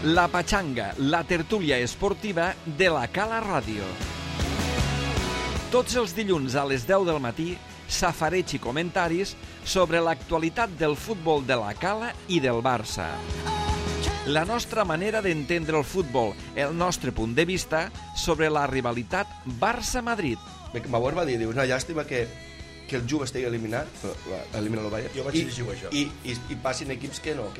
La Pachanga, la tertúlia esportiva de la Cala Ràdio. Tots els dilluns a les 10 del matí, safareig i comentaris sobre l'actualitat del futbol de la Cala i del Barça. La nostra manera d'entendre el futbol, el nostre punt de vista sobre la rivalitat Barça-Madrid. Bauer va dir, una llàstima que el Juve estigui eliminat, elimina el Bayern, jo vaig dir això. I passin equips que no.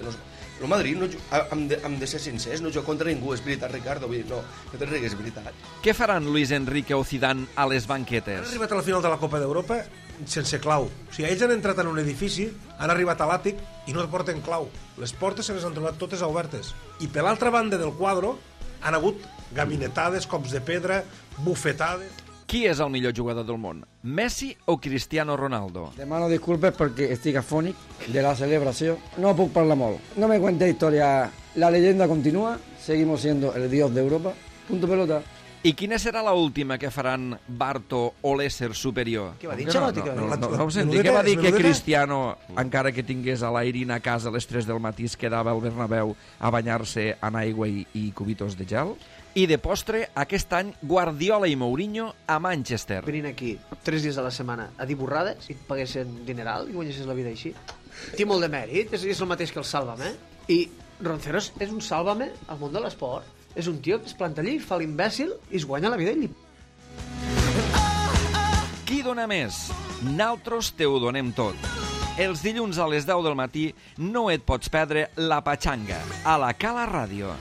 El Madrid, hem de ser sincers, no juga contra ningú, és veritat, Ricardo, vull dir, no te rigues, és veritat. Què faran Luis Enrique o Zidane a les banquetes? Han arribat a la final de la Copa d'Europa sense clau. O sigui, ells han entrat en un edifici, han arribat a l'àtic i no porten clau. Les portes se les han trobat totes obertes. I per l'altra banda del quadre han hagut gabinetades, cops de pedra, bufetades... Qui és el millor jugador del món? Messi o Cristiano Ronaldo? Demano disculpes perquè estic afònic de la celebració. No puc parlar molt. No me cuente historia. La leyenda continúa. Seguimos siendo el dios de Europa. Punto pelota. I quina serà l'última que faran Barto o l'ésser superior? Què va dir, Xalotti? No ho senti, què va dir que Cristiano, encara que tingués a l'Airín a casa a les 3 del matí, es quedava al Bernabéu a banyar-se en aigua i cubitos de gel? I de postre, aquest any, Guardiola i Mourinho a Manchester. Venint aquí 3 dies a la setmana a dir borrades i et paguessin dineral i guanyessis la vida així. Té molt de mèrit, és el mateix que el Sálvame. I Roncero és un Sálvame al món de l'esport. És un tio que es planta allí, fa l'imbècil i es guanya la vida ell. Qui dona més? Naltros te ho donem tot. Els dilluns a les 10 del matí no et pots perdre La Pachanga a la Cala Ràdio.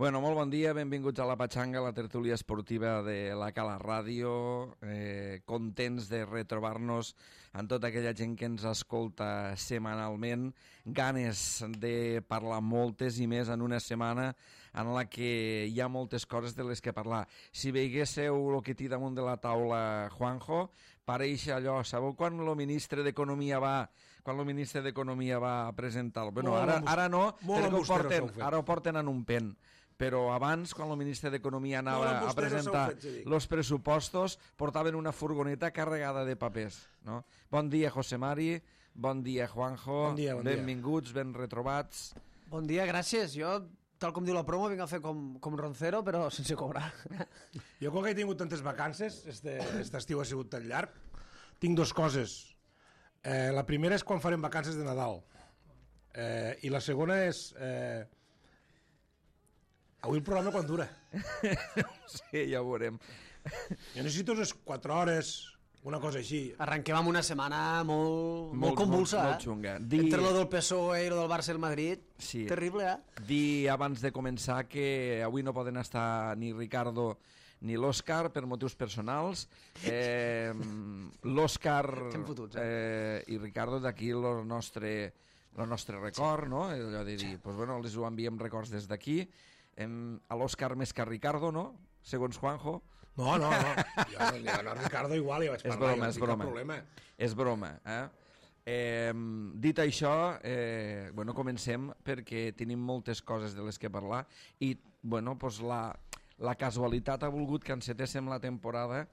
Bueno, molt bon dia, benvinguts a La Pachanga, la tertúlia esportiva de la Cala Ràdio. Contents de retrobar-nos amb tota aquella gent que ens escolta setmanalment. Ganes de parlar moltes i més en una setmana en la que hi ha moltes coses de les que parlar. Si veiéssiu el que té damunt de la taula Juanjo, pareix allò, sabeu quan el ministre d'Economia va a presentar-lo? Bueno, ara no, perquè ara ho porten en un pen. Però abans, quan el ministre d'Economia anava a presentar els pressupostos, portaven una furgoneta carregada de papers. No? Bon dia, José Mari, bon dia, Juanjo, bon dia. Benvinguts, ben retrobats. Bon dia, gràcies. Jo, tal com diu la promo, vinc a fer com Roncero, però sense cobrar. Jo, com que he tingut tantes vacances, aquest estiu ha sigut tan llarg, tinc dues coses. La primera és quan farem vacances de Nadal. I la segona és... Avui el programa quan dura? Sí, ja ho veurem. Jo necessito unes 4 hores, una cosa així. Arrenquem amb una setmana molt convulsa, molt xunga. Entre lo del PSOE i lo del Barça i el Madrid, sí. Terrible, Dir abans de començar que avui no poden estar ni Ricardo ni l'Òscar per motius personals. L'Òscar i Ricardo d'aquí el nostre record, no? Allò de dir, doncs bueno, els ho enviem records des d'aquí. A l'Òscar més que a Ricardo, no? Segons Juanjo. No. Jo a Ricardo igual ja vaig parlar. És broma. És broma, dit això, bueno, comencem perquè tenim moltes coses de les que parlar i, bueno, doncs la casualitat ha volgut que encetéssim la temporada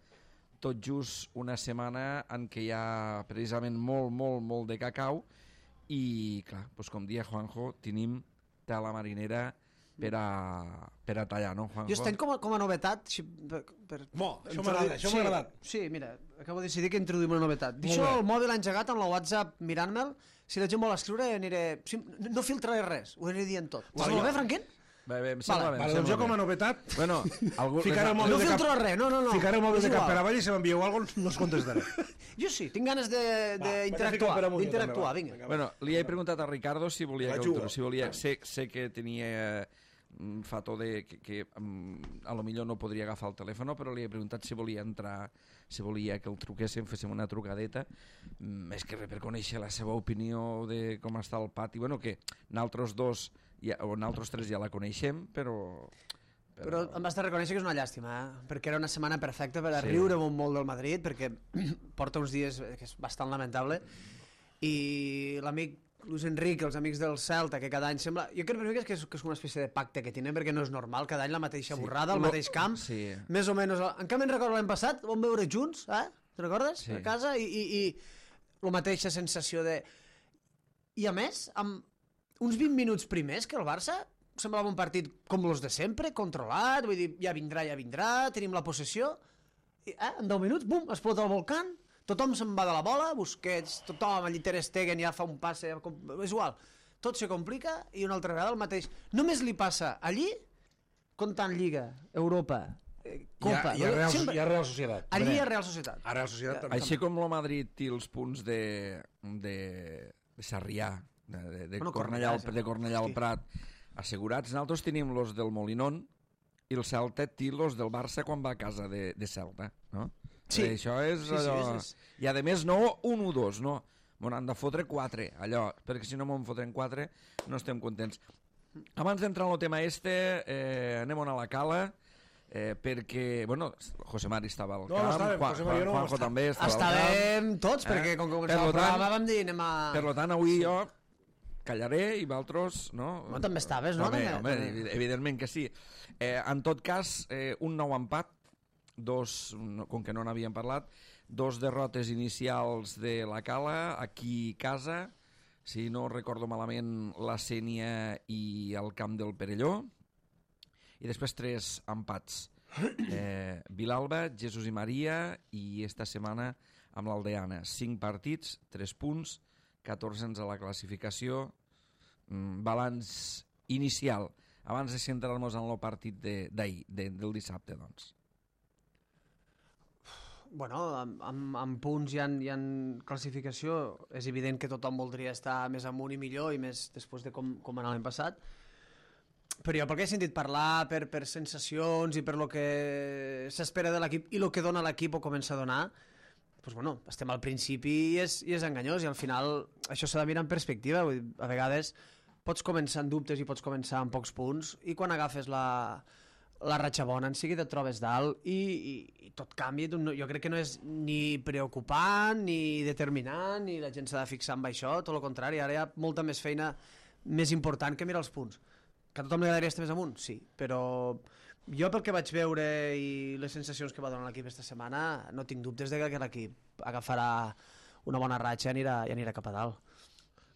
tot just una setmana en què hi ha precisament molt de cacau i, clar, doncs com dia Juanjo, tenim tela marinera per a tallar, no, Juanjo? Jo estem com a novetat... Això m'ha agradat. Sí, mira, acabo de decidir que introduïm una novetat. Deixo el mòbil engegat amb la WhatsApp mirant-me'l. Si la gent vol escriure, aniré... No filtraré res, ho aniré dient tot. Està molt bé, Franquín? Bé, em sembla bé. Doncs jo com a novetat... Bueno, no filtro res, no. Ficaré el mòbil de cap per avall i si m'envieu alguna cosa no us contestaré. Jo sí, tinc ganes d'interactuar, vinga. Bueno, li he preguntat a Ricardo si volia sé que tenia fato de que a lo millor no podria agafar el telèfon, però li he preguntat si volia entrar, si volia que el truquéssim, féssim una trucadeta, més que res per conèixer la seva opinió de com està el pati, bueno, que nosaltres dos o nosaltres tres ja la coneixem, però em vas de reconèixer que és una llàstima, perquè era una setmana perfecta per a riure molt del Madrid, perquè porta uns dies que és bastant lamentable, i l'amic Luis Enrique, els amics del Celta, que cada any sembla... Jo crec que és una espècie de pacte que tenen, perquè no és normal, cada any la mateixa borrada, el mateix camp, més o menys... En canvi, recordo l'any passat, vam veure junts, te'n recordes? Sí. A casa, i la mateixa sensació de... I a més, amb uns 20 minuts primers que el Barça semblava un partit com els de sempre, controlat, vull dir, ja vindrà, tenim la possessió, i en 10 minuts, bum, explota el volcán, tothom se'n va de la bola, Busquets, tothom, allí Ter Stegen ja fa un passe, és igual, tot se complica i una altra vegada el mateix. Només li passa allí, comptant Lliga, Europa, Copa... Hi ha Real Societat. Allí hi ha Real Societat. A Real Societat també. Així com el Madrid té els punts de Sarrià, de Cornellà al Prat, assegurats, nosaltres tenim los del Molinón i el Celta té los del Barça quan va a casa de Celta, no? Sí. Això és Sí, allò... és. I a més no 1 o 2, no. M'ho han de fotre 4, allò, perquè si no m'ho fotren 4 no estem contents. Abans d'entrar en el tema anem a la cala, perquè, bueno, José Mari estava al camp, estàvem, José Mari no Juanjo també estava al camp. Estàvem tots, perquè com que començava el programa vam dir anem a... Per tant, avui jo callaré i vosaltres, no? No, també estaves, no? Home, evidentment que sí. En tot cas, un nou empat, com que no n'havíem parlat, 2 derrotes inicials de la Cala, aquí casa, si no recordo malament, la Sénia i el camp del Perelló, i després 3 empats. Vilalba, Jesús i Maria, i esta setmana amb l'Aldeana. 5 partits, 3 punts, 14 a la classificació, balanç inicial, abans de centrar-nos en el partit d'ahir, del dissabte, doncs. Bueno, amb punts i en classificació és evident que tothom voldria estar més amunt i millor, i més després de com anava l'any passat. Però jo, pel que he sentit parlar, per sensacions i per lo que s'espera de l'equip i el que dona l'equip o comença a donar, doncs, bueno, estem al principi i és enganyós, i al final això s'ha de mirar en perspectiva. Vull dir, a vegades pots començar amb dubtes i pots començar amb pocs punts, i quan agafes la ratxa bona, en seguida et trobes dalt i tot canvia. Jo crec que no és ni preocupant ni determinant, ni la gent s'ha de fixar en això, tot el contrari. Ara hi ha molta més feina més important que mirar els punts. Que a tothom li agradaria estar més amunt, sí, però jo pel que vaig veure i les sensacions que va donar l'equip aquesta setmana, no tinc dubtes de que l'equip agafarà una bona ratxa i anirà cap a dalt.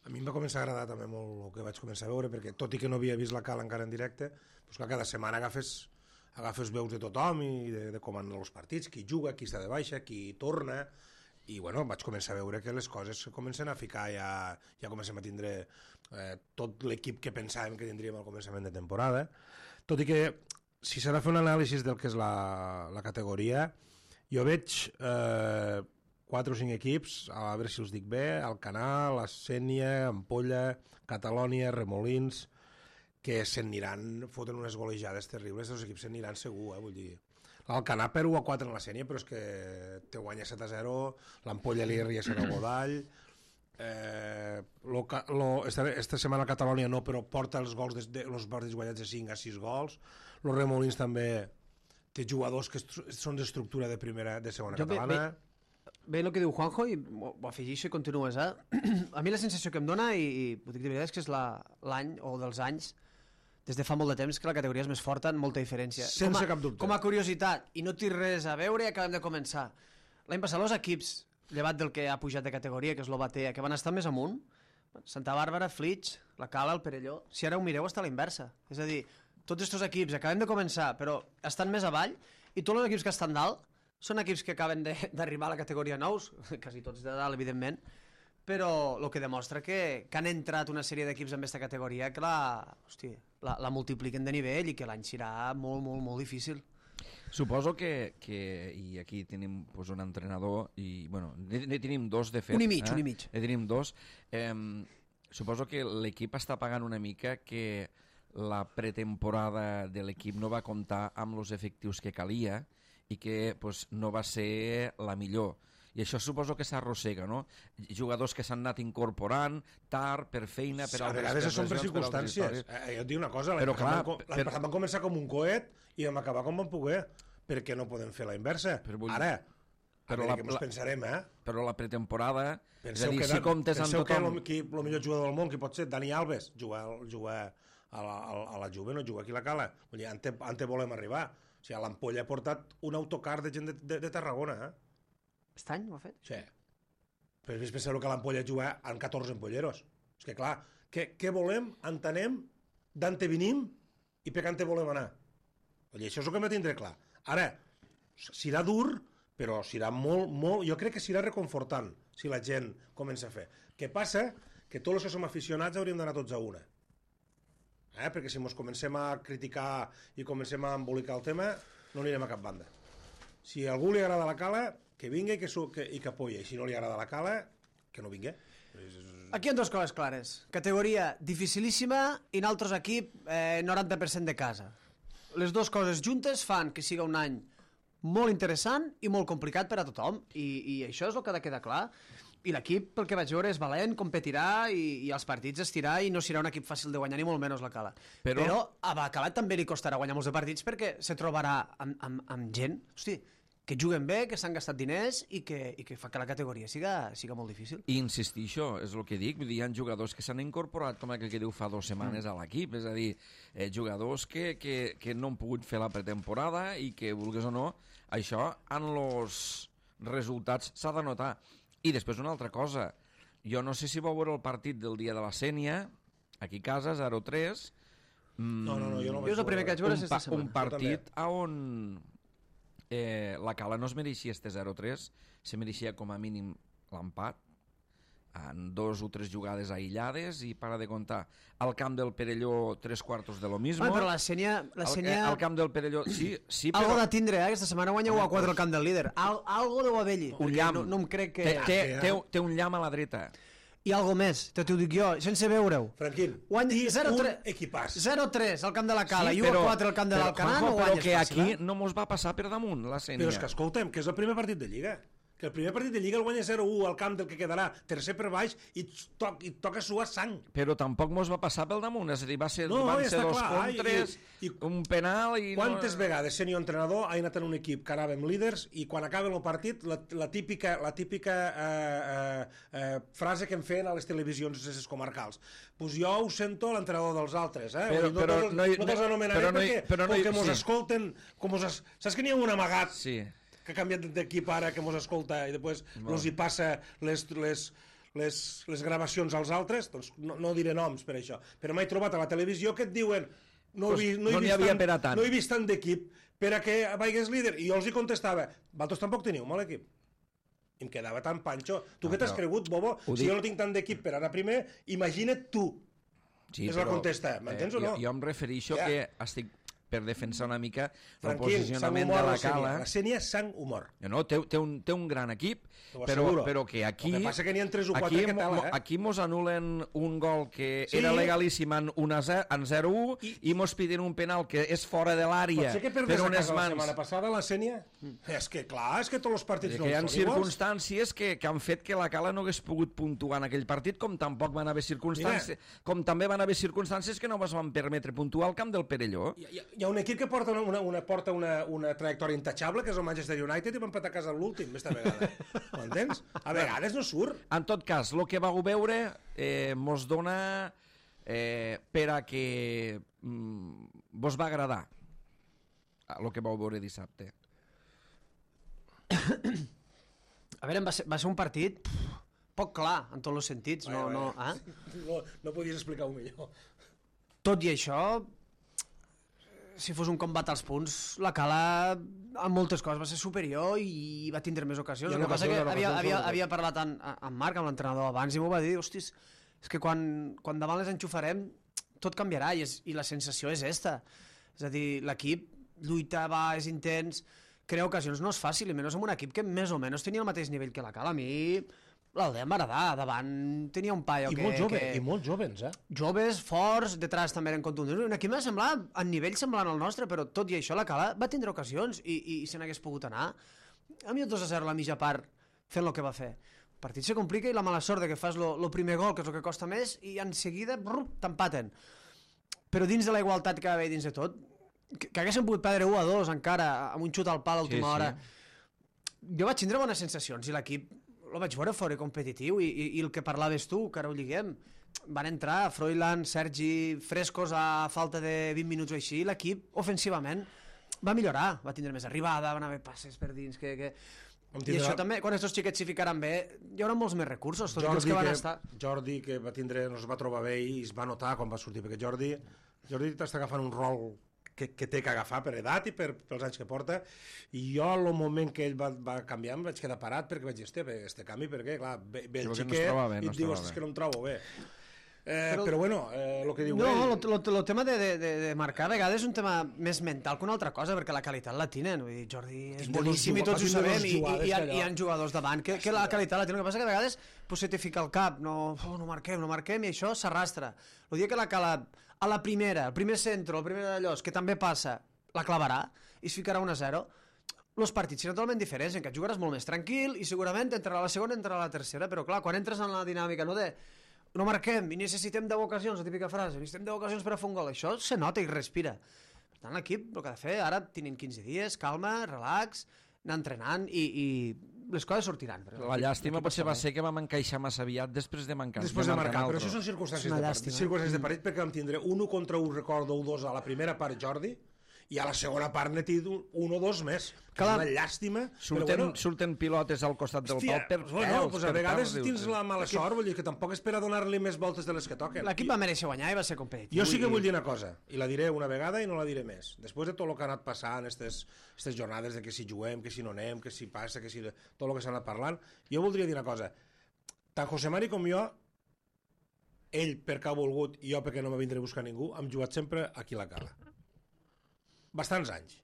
A mi em va començar a agradar també molt el que vaig començar a veure, perquè tot i que no havia vist la Cala encara en directe, doncs que cada setmana agafes veus de tothom i de com han els partits, qui juga, qui està de baixa, qui torna, i bueno, vaig començar a veure que les coses comencen a ficar, ja comencem a tindre tot l'equip que pensàvem que tindríem al començament de temporada, tot i que si s'ha de fer un anàlisi del que és la categoria, jo veig 4 o 5 equips, a veure si els dic bé, Alcanar, la Sénia, Ampolla, Catalònia, Remolins, que s'aniran, foten unes golejades terribles, els equips s'aniran segur, vull dir. L'Alcanar per 1-4 en la Sénia, però és que te guanya 7-0, l'Ampolla li ria 7 a Godall, esta setmana a Catalònia no, però porta els gols els partits guanyats de 5 a 6 gols. Los Remolins també té jugadors que són d'estructura de segona catalana. Bé, el que diu Juanjo, i ho afegeixo i continues, A mi la sensació que em dona, i ho dic de veritat, és que és l'any o dels anys, des de fa molt de temps, que la categoria és més forta en molta diferència. Sense cap dubte. Com a curiositat, i no té res a veure, acabem de començar. L'any passat els equips, llevat del que ha pujat de categoria, que és l'Obatea, que van estar més amunt, Santa Bàrbara, Flix, la Cala, el Perelló, si ara ho mireu està a la inversa. És a dir, tots aquests equips acabem de començar, però estan més avall, i tots els equips que estan dalt són equips que acaben d'arribar a la categoria nous, quasi tots de dalt, evidentment, però el que demostra que han entrat una sèrie d'equips en aquesta categoria que la multipliquen de nivell i que l'any serà molt, molt, molt difícil. Suposo que i aquí tenim un entrenador, i bueno, ne tenim 2 de fet. Un i mig. Ne tenim 2. Suposo que l'equip està pagant una mica que la pretemporada de l'equip no va comptar amb els efectius que calia i que no va ser la millor. I això suposo que s'arrossega, no? Jugadors que s'han anat incorporant tard, per feina, per altres... A vegades són per circumstàncies. Jo et dic una cosa, l'any passat van començar com un coet i vam acabar com vam poder, perquè no podem fer la inversa. Ara, però que ens pensarem, Però la pretemporada... Penseu que el millor jugador del món, que pot ser Dani Alves, jugar a la Juve, no jugar aquí a la Cala. Vull dir, ante volem arribar. O sigui, l'Ampolla ha portat un autocar de gent de Tarragona, Aquest any ho ha fet? Sí. Però és pensar que l'Ampolla juga amb 14 empolleros. És que clar, què volem, entenem, d'on venim i per què volem anar. I això és el que hem de tindre clar. Ara, serà dur, però serà molt... Jo crec que serà reconfortant si la gent comença a fer. Què passa? Que tots els que som aficionats hauríem d'anar tots a una. Perquè si ens comencem a criticar i comencem a embolicar el tema, no anirem a cap banda. Si a algú li agrada la cala, que vingui i que apoyi. I si no li agrada la cala, que no vingui. Aquí hi ha dues coses clares. Categoria dificilíssima i nosaltres equip 90% de casa. Les dues coses juntes fan que siga un any molt interessant i molt complicat per a tothom. I això és el que ha de quedar clar. I l'equip, pel que vaig veure, és valent, competirà i els partits es tirarà i no serà un equip fàcil de guanyar, ni molt menys la Cala. Però a Bacala també li costarà guanyar molts de partits perquè se trobarà amb gent, hosti, que juguen bé, que s'han gastat diners i que fa que la categoria siga molt difícil. I insistir, és el que dic, vull dir, hi ha jugadors que s'han incorporat, com aquell que diu fa 2 setmanes a l'equip, és a dir, jugadors que no han pogut fer la pretemporada i que, vulguis o no, això en els resultats s'ha de notar. I després una altra cosa, jo no sé si vau veure el partit del dia de la Sènia, aquí a casa, 0-3. No, jo no vaig jo és el primer que vaig veure aquesta setmana. Un partit on la Cala no es mereixia este 0-3, se mereixia com a mínim l'empat, en 2 o 3 jugades aïllades i para de contar. Al camp del Perelló 3/4 de lo mismo. Però la Sènia... Al camp del Perelló, sí, però... Algo de tindre, aquesta setmana guanya 1-4 al camp del líder. Algo deu haver-hi. Un llamp. No em crec que... Té un llamp a la dreta. I algo més, t'ho dic jo, sense veure-ho. Franquín, un equipàs. 0-3 al camp de la Cala i 1-4 al camp de l'Alcanar, no guanyes que fàcil. aquí no mos va passar per damunt, la Sènia. Però és que escolta'm, que és el primer partit de Lliga. Que el primer partit de Lliga el guanya 0-1 al camp del que quedarà tercer per baix i toca suar sang. Però tampoc mos va passar pel damunt, és a dir, van ser 2 contres, un penal i... Quantes vegades sent jo entrenador he anat en un equip que anàvem líders i quan acaben el partit la típica frase que em feien a les televisions comarcals. Pues jo ho sento a l'entrenador dels altres, Però no te'ls anomenaré perquè mos escolten... Saps que n'hi ha un amagat? Sí. Que ha canviat d'equip ara, que mos escolta i després els hi passa les gravacions als altres, doncs no diré noms per això, però m'he trobat a la televisió que et diuen no he vist tant d'equip per a que vagis líder, i jo els hi contestava, vosaltres tampoc teniu mal equip. I em quedava tan panxo. Tu què t'has cregut, bobo? Si jo no tinc tant d'equip per anar primer, imagina't tu. És la contesta, m'entens o no? Jo em refereixo que estic per defensar una mica el posicionament de la Cala. La Sènia és sang humor. No, té un gran equip, però que aquí... El que passa que n'hi ha 3 o 4 que tal, Aquí mos anulen un gol que era legalíssim en 0-1 i mos piden un penal que és fora de l'àrea per unes mans. La setmana passada la Sènia? És que clar, és que tots els partits no hi ha són iguals. circumstàncies que han fet que la Cala no hagués pogut puntuar en aquell partit, com tampoc van haver circumstàncies, com també van haver circumstàncies que no es van permetre puntuar al camp del Perelló. Hi ha un equip que porta una trajectòria intachable, que és el Manchester United, i va empatar a casa l'últim, aquesta vegada. M'entens? A vegades no surt. En tot cas, el que vau veure mos dona per a que vos va agradar el que vau veure dissabte. A veure, va ser un partit poc clar, en tots els sentits. No podies explicar-ho millor. Tot i això, si fos un combat als punts, la Cala en moltes coses va ser superior i va tindre més ocasions. El que passa que havia parlat amb Marc, amb l'entrenador abans, i m'ho va dir, hostis, és que quan davant les enxufarem tot canviarà i la sensació és esta. És a dir, l'equip lluita, va, és intens, crea ocasions, no és fàcil, i menys amb un equip que més o menys tenia el mateix nivell que la Cala. A mi l'Aldea em va agradar, davant tenia un paio I molt jovens, joves, forts, detrás també eren contundents. Un equip m'ha semblat a nivell semblant al nostre, però tot i això la Cala va tindre ocasions i se n'hagués pogut anar. A mi el 2-0 a la mitja part fent el que va fer. El partit se complica i la mala sort de que fas el primer gol, que és el que costa més, i en seguida t'empaten. Però dins de la igualtat que va haver dins de tot, que haguessin pogut perdre 1-2 encara, amb un xut al pal a l'última hora, jo vaig tindre bones sensacions i l'equip el vaig veure fora competitiu i el que parlaves tu, que ara ho lliguem, van entrar Froilán, Sergi, frescos a falta de 20 minuts o així, l'equip ofensivament va millorar, va tindre més arribada, van haver passes per dins, I això també, quan aquests xiquets s'hi ficaran bé, hi haurà molts més recursos, tots els que van estar. Jordi, que va tindre, no es va trobar bé i es va notar quan va sortir, perquè Jordi t'està agafant un rol que té que agafar per edat i pels anys que porta, i jo al moment que ell va canviar em vaig quedar parat perquè vaig dir, hòstia, este canvi, perquè clar, ve el xiquet i et diu, és que no em trobo bé. Però bueno, el que diu ell... No, el tema de marcar a vegades és un tema més mental que una altra cosa, perquè la qualitat la tenen. Vull dir, Jordi és boníssim i tots ho sabem, i hi ha jugadors davant que la qualitat la tenen. El que passa que a vegades se te fica al cap, no marquem, i això s'arrastra. El dia que la cala a la primera, el primer centre, el primer d'allò, que també passa, la clavarà i es ficarà 1-0, els partits seran totalment diferents, en què jugaràs molt més tranquil i segurament entrarà a la segona, entrarà a la tercera, però clar, quan entres en la dinàmica no marquem i necessitem 10 ocasions, la típica frase, necessitem 10 ocasions per a fer un gol, això se nota i respira. Per tant, l'equip el que ha de fer, ara tenen 15 dies, calma, relax, anar entrenant i les coses sortiran. La llàstima potser va ser que vam encaixar massa aviat després de marcar. Però això són circumstàncies de partit, perquè vam tindre 1-1, recordo, 1-2 a la primera part Jordi, i a la segona part n'he tingut 1 o 2 més. És una llàstima. Surten pilotes al costat del pal per pèls. A vegades tens la mala sort, vull dir que tampoc és per a donar-li més voltes de les que toquen. L'equip va mereixer guanyar i va ser competitiu. Jo sí que vull dir una cosa, i la diré una vegada i no la diré més. Després de tot el que ha anat passant, aquestes jornades de que si juguem, que si no anem, que si passa, que si tot el que s'ha anat parlant, jo voldria dir una cosa. Tant José Mari com jo, ell perquè ha volgut i jo perquè no m'ha vindre a buscar ningú, hem jugat sempre aquí a la Cala. Bastants anys.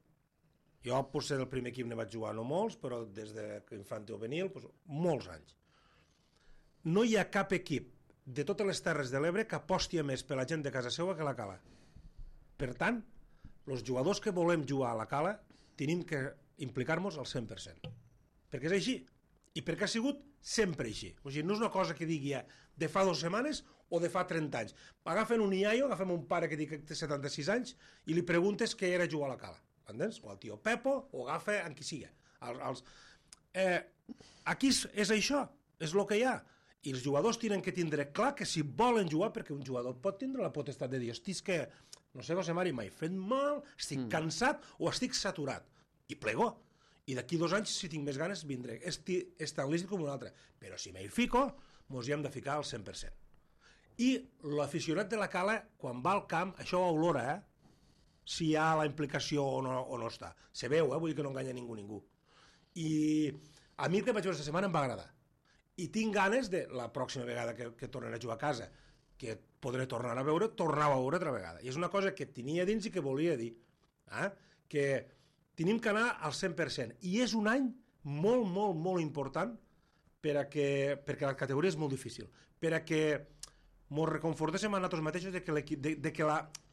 Jo potser del primer equip ne vaig jugar no molts, però des de infant o juvenil, molts anys. No hi ha cap equip de totes les Terres de l'Ebre que aposti més per la gent de casa seva que la Cala. Per tant, els jugadors que volem jugar a la Cala tenim que implicar-nos al 100%. Perquè és així. I perquè ha sigut sempre així. O sigui, no és una cosa que digui de fa 2 setmanes o de fa 30 anys. Agafen un iaio, agafem un pare que té 76 anys i li preguntes què era jugar a la Cala. Entens? O el tio Pepo, o agafa en qui sigui. Aquí és això, és el que hi ha. I els jugadors tenen que tindre clar que si volen jugar, perquè un jugador pot tindre la potestat de dir, hosti, és que, no sé, José Mari, m'he fet mal, estic cansat o estic saturat. I plego. I d'aquí 2 anys, si tinc més ganes, vindré. És tan lícit com un altre. Però si m'hi fico, mos hi hem de ficar al 100%. I l'aficionat de la Cala, quan va al camp, això ho olora, si hi ha la implicació o no està. Se veu, vull dir que no enganya ningú. I a mi el que vaig veure aquesta setmana em va agradar. I tinc ganes de, la pròxima vegada que tornen a jugar a casa, que podré tornar a veure altra vegada. I és una cosa que tenia dins i que volia dir. Que tenim que anar al 100%. I és un any molt, molt, molt important perquè la categoria és molt difícil. Perquè ens reconfortéssim a nosaltres mateixos de que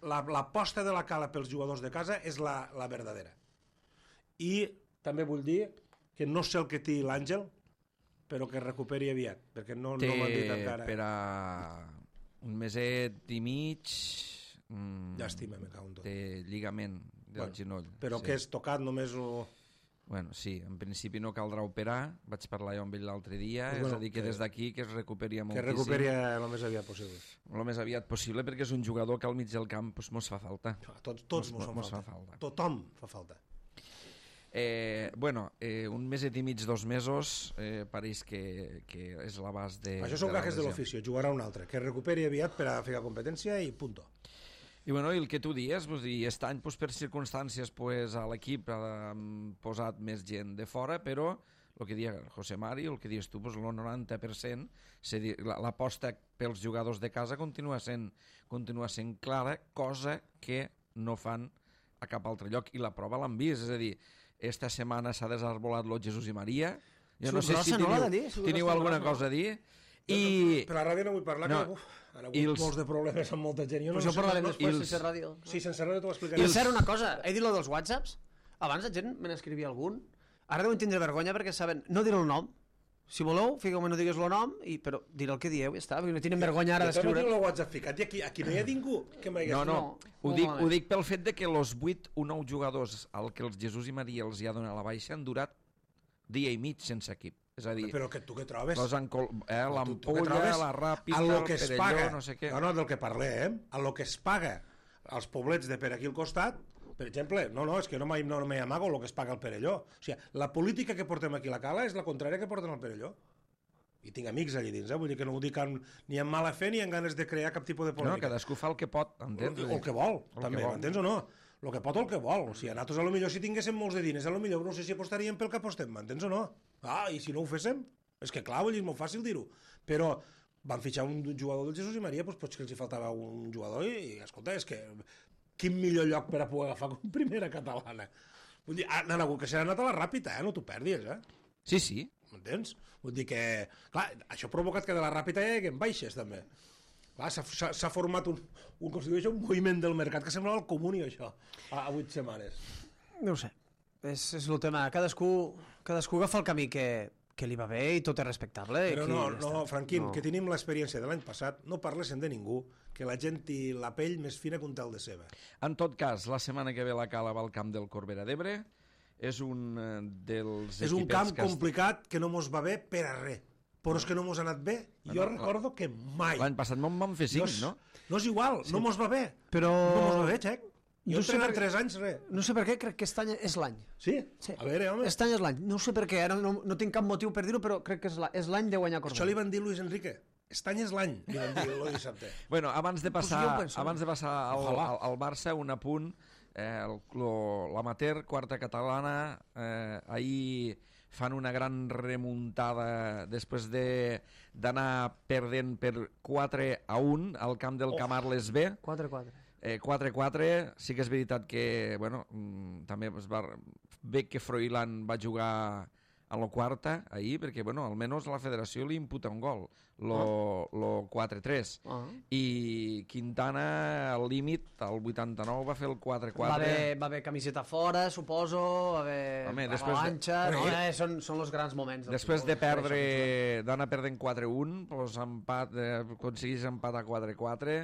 l'aposta de la Cala pels jugadors de casa és la verdadera. I també vull dir que no sé el que té l'Àngel, però que es recuperi aviat, perquè no m'han dit encara. Per a un meset i mig... Llàstima, me cago en tot. Té lligament del genoll. Però que és tocat només o... Bueno, sí, en principi no caldrà operar, vaig parlar jo amb ell l'altre dia, és a dir, que des d'aquí que es recuperi moltíssim. Que recuperi el més aviat possible. El més aviat possible, perquè és un jugador que al mig del camp mos fa falta. Tots mos fa falta. Tothom fa falta. Un meset i mig, 2 mesos, pareix que és l'abast de... Això són gajes de l'oficio, jugarà un altre, que recuperi aviat per a fer competència i punto. I el que tu dius, aquest any per circumstàncies a l'equip ha posat més gent de fora, però el que deia José Mari, el que dius tu, el 90%, l'aposta pels jugadors de casa continua sent clara, cosa que no fan a cap altre lloc, i la prova l'han vist, és a dir, esta setmana s'ha desarbolat lo Jesús i Maria, jo no sé si teniu alguna cosa a dir. Per la ràdio no vull parlar, que han hagut molts de problemes amb molta gent. Però això parlarem després, sense ràdio. Sí, sense ràdio t'ho explicaré. I cert, una cosa, he dit lo dels whatsapps, abans la gent me n'escrivia algun, ara deuen tindre vergonya perquè saben, no dir el nom, si voleu, fiqueu-me no digues el nom, però diré el que dieu i ja està, perquè no tenen vergonya ara d'escriure. Jo no tinc el WhatsApp ficat, i aquí no hi ha ningú que m'hagués... No, ho dic pel fet de que els 8 o 9 jugadors al que els Jesús i Maria els hi ha donat la baixa han durat dia i mig sense equip. És a dir, però que tu què trobes? L'Ampolla, la Ràpida, el Perelló, no sé què. No, del que parlem, a lo que es paga als poblets de per aquí al costat, Per exemple, és que no m'hi amago el que es paga al Perelló. O sigui, la política que portem aquí a la Cala és la contrària que porten al Perelló. I tinc amics allà dins, vull dir que no ho dic ni amb mala fe ni amb ganes de crear cap tipus de polèmica. No, cadascú fa el que pot, entens? El que vol, també, m'entens o no? El que pot o el que vol. O sigui, a nosaltres, potser si tinguéssim molts de diners, potser no sé si apostaríem pel que apostem, m'entens o no? I si no ho féssim? És que clar, vull dir, és molt fàcil dir-ho. Però van fitxar un jugador del Jesús i Maria, doncs potser que els hi faltava un jugador i escolta, és que quin millor lloc per a poder agafar com primera catalana. Vull dir, han hagut que s'ha anat a la ràpida, no t'ho perdis, Sí. M'entens? Vull dir que, clar, això ha provocat que de la ràpida hi hagi baixes, també. Clar, s'ha format un moviment del mercat que semblava el comuni, això, a 8 setmanes. No ho sé. És el tema. Cadascú agafa el camí que li va bé i tot és respectable. Però no, Franquín, que tenim l'experiència de l'any passat, no parlessin de ningú, que la gent té la pell més fina que un tel de ceba. En tot cas, la setmana que ve la Cala va al camp del Corbera d'Ebre. És un dels és un camp complicat que no mos va bé per a res. Però és que no mos ha anat bé. Jo recordo que mai. L'any passat me'n van fer 5, no? No és igual, no mos va bé. Però... No mos va bé, Xec. Jo tenen 3 anys, res. No sé per què, crec que aquest any és l'any. Sí? A veure, home. Aquest any és l'any. No sé per què, no tinc cap motiu per dir-ho, però crec que és l'any de guanyar Corbera. Això li van dir Luis Enrique. Aquest any és l'any, li van dir el dissabte. Bueno, abans de passar al Barça, un apunt. L'amateur, quarta catalana, ahir fan una gran remuntada després d'anar perdent per 4-1 al camp del Camarles B. 4-4. 4-4, sí que és veritat que també es va bé que Froilán va jugar a la quarta ahir, perquè almenys la federació li imputa un gol, lo 4-3, i Quintana al límit, al 89 va fer el 4-4. Va haver camiseta fora, suposo, va haver avalanxa, són els grans moments. Després de d'anar perdent 4-1, aconseguís empat a 4-4.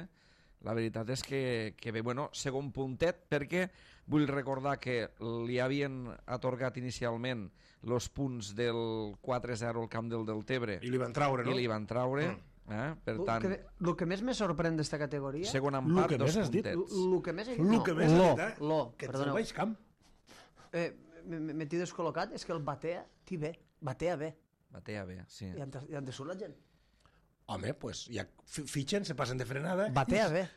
La veritat és que bé, segon puntet, perquè vull recordar que li havien atorgat inicialment els punts del 4-0 al camp del Deltebre. I li van traure, no? I li van traure, per tant... El que més me sorprèn d'esta categoria... Segon empat, 2 puntets. El que més he dit... El que més he dit, que ets al baix camp. M'he descol·locat, és que el Batea té bé. Batea bé. Batea bé, sí. I han de surt la gent. Home, doncs ja fitxen, se passen de frenada. Batea bé.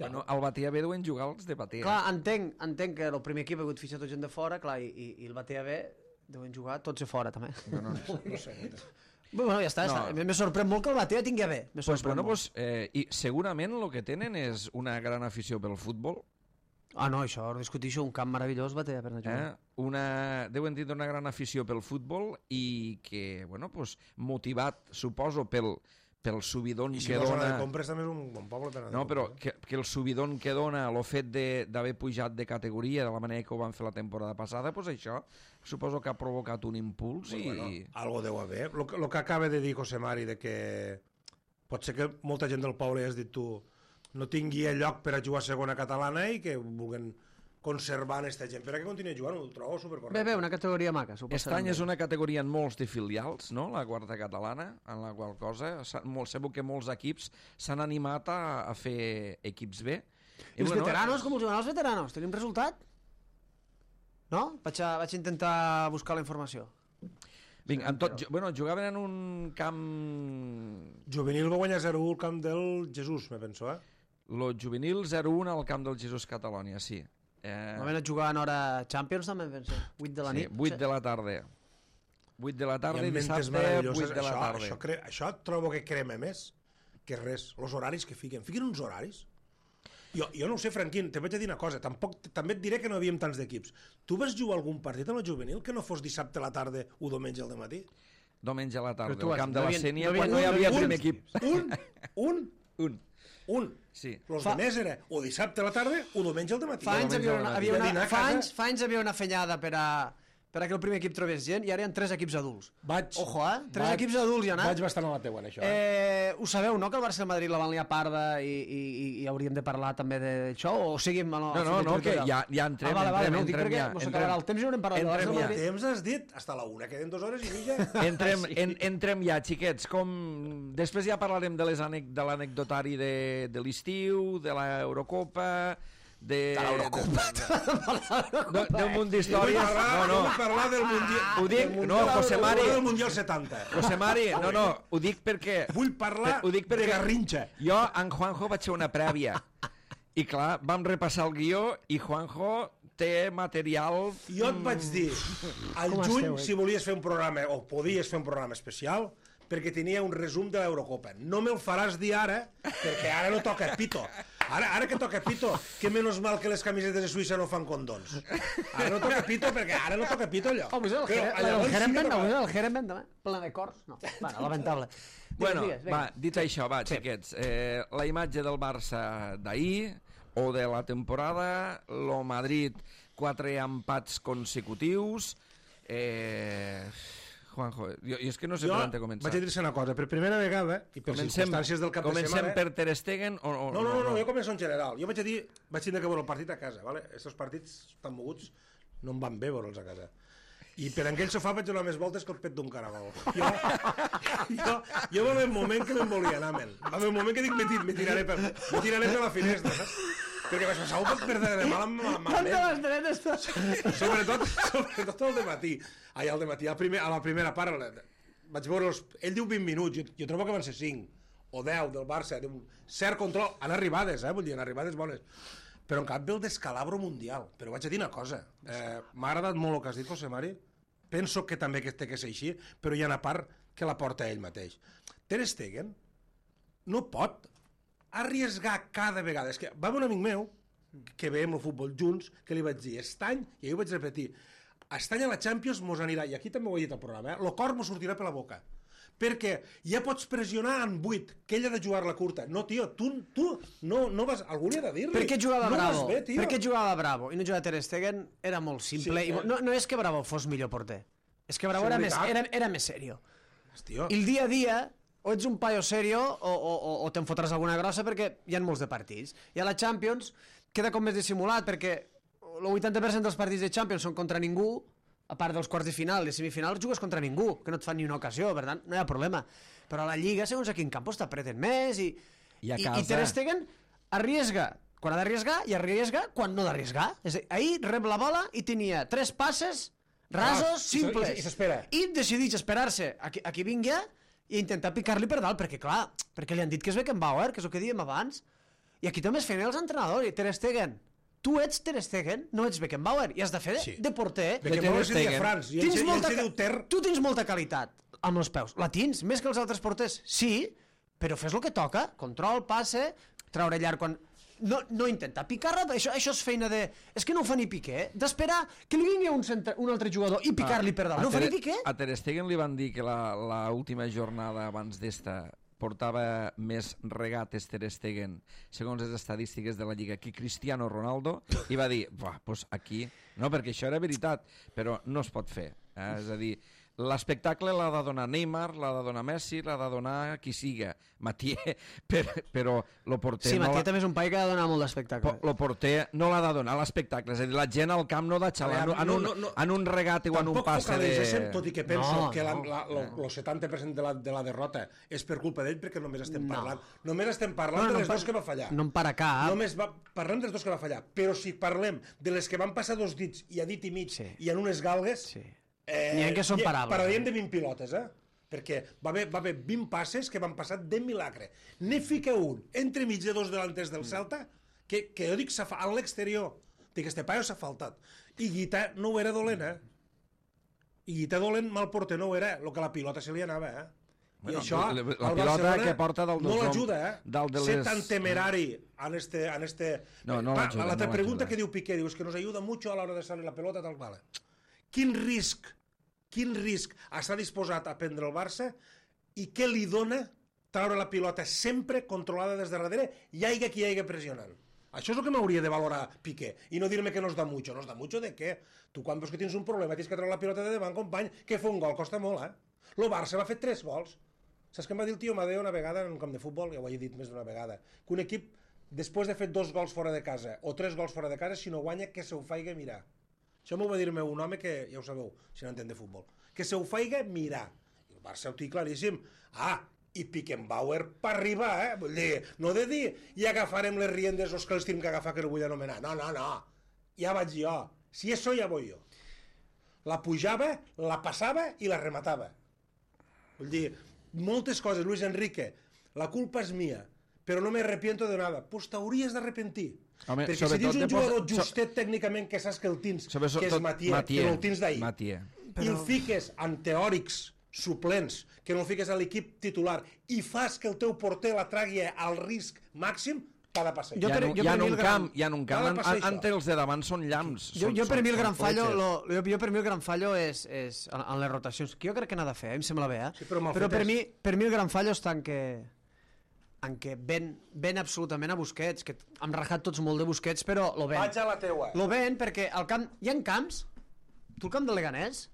El Batea B deuen jugar els de Batea. Clar, entenc que el primer equip ha hagut fitxar tot gent de fora, clar, i el Batea B deuen jugar tots de fora, també. No sé. Bueno, ja està. Me sorprèn molt que el Batea tingui bé. I segurament el que tenen és una gran afició pel futbol. No, això, discutir-ho, un camp meravellós Batea per anar a jugar. Deuen tindre una gran afició pel futbol i que, motivat, suposo, pel subidon que dona... I si de compres també és un bon poble per anar. No, però que el subidon que dona el fet d'haver pujat de categoria de la manera que ho van fer la temporada passada, això suposo que ha provocat un impuls i... Algo deu haver. El que acaba de dir José Mari, de que pot ser que molta gent del poble, has dit tu, no tingui lloc per a jugar a segona catalana i que vulguin conservar aquesta gent per a que continuï jugant, ho trobo supercorrecte. Bé, una categoria maca. Aquest any és una categoria en molts de filials, no?, la quarta catalana, en la qual cosa segur que molts equips s'han animat a fer equips B. I els veteranos, com us diuen els veteranos? Tenim resultat? No? Vaig intentar buscar la informació. Vinga, jugaven en un camp... Juvenil va guanyar 0-1 al camp del Jesús, me penso, Lo juvenil 0-1 al camp del Jesús Catalònia, sí. Vam anar a jugar en hora Champions, també, penso. 8 de la nit. 8 de la tarda. 8 de la tarda i dissabte 8 de la tarda. Això trobo que crema més que res. Els horaris que fiquen. Fiquen uns horaris. Jo no ho sé, Franquín, te vaig a dir una cosa. També et diré que no havíem tants d'equips. Tu vas jugar algun partit amb el juvenil que no fos dissabte a la tarda o diumenge al dematí? Diumenge a la tarda, al camp de la Sénia, quan no hi havia primer equip. Un. Sí. Los de més era o dissabte a la tarda o diumenge al dematí. Fa anys havia una fenyada per a que el primer equip trobés gent i ara hi ha 3 equips adults. Ojo, 3 equips adults hi ha anat. Vaig bastant a la teua en això. Ho sabeu, no?, que el Barça i el Madrid la van liar parda i hauríem de parlar també d'això? O seguim... No, que ja entrem. No ho dic perquè mos acabarà el temps i haurem parlat del Barça i el Madrid. El temps has dit? Hasta la 1, queden 2 hores i mitja. Entrem ja, xiquets. Després ja parlarem de l'anecdotari de l'estiu, de l'Eurocopa, del munt d'històries. Vull parlar del Mundial. Ho dic, no, José Mari. Del Mundial 70. José Mari, no, ho dic perquè... Vull parlar de Garrincha. Jo, en Juanjo, vaig fer una prèvia. I clar, vam repassar el guió i Juanjo té material... Jo et vaig dir, al juny, si volies fer un programa, o podies fer un programa especial, perquè tenia un resum de l'Eurocopa. No me'l faràs dir ara, perquè ara no toca pito. Ara que toca pito, que menys mal que les camisetes de Suïssa no fan condons. Ara no toca pito, perquè ara no toca pito allò. Home, el Jeremben demà, ple de cors. No, bueno, lamentable. Bueno, va, dit això, va, xiquets, la imatge del Barça d'ahir, o de la temporada, lo Madrid, 4 empats consecutius... Juanjo, jo és que no sé per on començar. Vaig a dir-se una cosa, per primera vegada, i per circumstàncies del cap de setmana... Comencem per Ter Stegen o... No, jo començo en general. Jo vaig tenir que veure el partit a casa, ¿vale? Estos partits tan moguts no em van bé veure'ls a casa. I per aquell sofà vaig donar més voltes que el pet d'un caragol. Jo va haver un moment que me'n volia anar, men. Va haver un moment que dic, me tiraré per la finestra, saps? Perquè vaig pensar, pot perdre de mal amb malament. Sobretot el dematí. Ai, el dematí, a la primera part, vaig veure ell diu 20 minuts, jo trobo que van ser 5 o 10 del Barça, un cert control, han arribades, vull dir, han arribades bones. Però en cap ve el descalabro mundial. Però vaig a dir una cosa, m'ha agradat molt el que has dit, José Mari, penso que també té que ser així, però hi ha una part que la porta ell mateix. Ter Stegen no pot arriesgar cada vegada. És que va un amic meu, que veiem el futbol junts, que li vaig dir, estany, i jo ho vaig repetir, estany a la Champions mos anirà, i aquí també ho he dit al programa, el cor mos sortirà per la boca. Perquè ja pots pressionar en 8, que ell ha de jugar la curta. No, tio, tu no vas... Algú li ha de dir-li. Per què jugava Bravo? Bé, per què jugava Bravo i no jugava Ter Stegen? Era molt simple. Sí, no és que Bravo fos millor porter. És que Bravo era més serio. Hòstia. I el dia a dia, o ets un paio serio o te'n fotràs alguna grossa perquè hi ha molts de partits. I a la Champions queda com més dissimulat perquè el 80% dels partits de Champions són contra ningú, a part dels quarts de final i semifinals, jugues contra ningú, que no et fan ni una ocasió, per tant, no hi ha problema. Però a la Lliga, segons a quin camp, t'apreten més i Ter Stegen arriesga quan ha d'arriesgar i arriesga quan no ha d'arriesgar. Ahir rep la bola i tenia 3 passes rasos, simples. I s'espera. I decideix esperar-se a qui vingui i intentar picar-li per dalt, perquè clar, perquè li han dit que és Beckenbauer, que és el que dèiem abans. I aquí també es feien els entrenadors, i Ter Stegen. Tu ets Ter Stegen, no ets Beckenbauer, i has de fer de porter. Beckenbauer se diu Franz, i ell se diu Ter. Tu tens molta qualitat amb els peus. La tens, més que els altres porters, sí, però fes el que toca. Control, passe, traure llarg quan... No intentar picar, això és feina de... És que no ho fa ni Piqué, d'esperar que li vingui un altre jugador i picar-li per dalt. No ho fa ni Piqué? A Ter Stegen li van dir que l'última jornada abans d'esta portava més regates Ter Stegen, segons les estadístiques de la Lliga, que Cristiano Ronaldo, i va dir, doncs aquí... No, perquè això era veritat, però no es pot fer. És a dir, l'espectacle l'ha de donar Neymar, l'ha de donar Messi, l'ha de donar qui siga, Mathieu, però el porter... Sí, Mathieu també és un paio que ha de donar molt d'espectacle. El porter no l'ha de donar l'espectacle, és a dir, la gent al camp no ha de xalar en un regate o en un passe de... Tot i que penso que el 70% de la derrota és per culpa d'ell, perquè només estem parlant de les dos que va fallar. No em para cap. Només parlem dels dos que va fallar, però si parlem de les que van passar 2 dits i a dit i mig i en unes galgues... N'hi ha que són parables. Parlaríem de 20 pilotes, perquè va haver 20 passes que van passar de milagre. Ne fica un entre mig de 2 delanters del Celta que jo dic a l'exterior, dic, este paio s'ha faltat. I Guita no ho era dolent, I Guita dolent mal porter no ho era, el que la pilota se li anava, I això la pilota que porta no l'ajuda, ser tan temerari en este... La pregunta que diu Piqué, diu, és que nos ayuda mucho a l'hora de salir la pelota, tal qual. Quin risc està disposat a prendre el Barça i què li dona treure la pilota sempre controlada des de darrere i hi hagi qui hi hagi pressionant. Això és el que m'hauria de valorar Piqué i no dir-me que no es da mucho. No es da mucho de què? Tu quan veus que tens un problema tens que treure la pilota de davant, company, que fer un gol costa molt, El Barça va fer 3 gols. Saps què em va dir el tio Madeo una vegada en un camp de futbol? Ja ho he dit més d'una vegada. Que un equip, després de fer 2 gols fora de casa o 3 gols fora de casa, si no guanya, que se ho faiga mirar. Això m'ho va dir-me un home que, ja ho sabeu, si no entén de futbol, que se ho faiga mirar. I el Barça ho té claríssim. i Beckenbauer per arribar, vull dir, no de dir i agafarem les riendes els que els tenim que agafar que no vull anomenar, no, ja vaig jo, si això ja voy jo. La pujava, la passava i la rematava. Vull dir, moltes coses, Luis Enrique, la culpa és mia, però no me arrepiento de nada. Pues t'hauries d'arrepentir. Home, perquè si tens un jugador justet tècnicament que saps que el tens, que és Matier, que no el tens d'ahir, i el fiques en teòrics suplents, que no el fiques a l'equip titular, i fas que el teu porter la tragui al risc màxim, t'ha de passar. Hi ha un camp, entre els de davant són llamps. Jo per mi el gran fallo és en les rotacions, que jo crec que n'ha de fer, em sembla bé, però per mi el gran fallo està en què ven absolutament a Busquets, que hem rajat tots molt de Busquets, però lo ven. Vaig a la teua. Lo ven perquè hi ha camps, tu el camp de Leganés,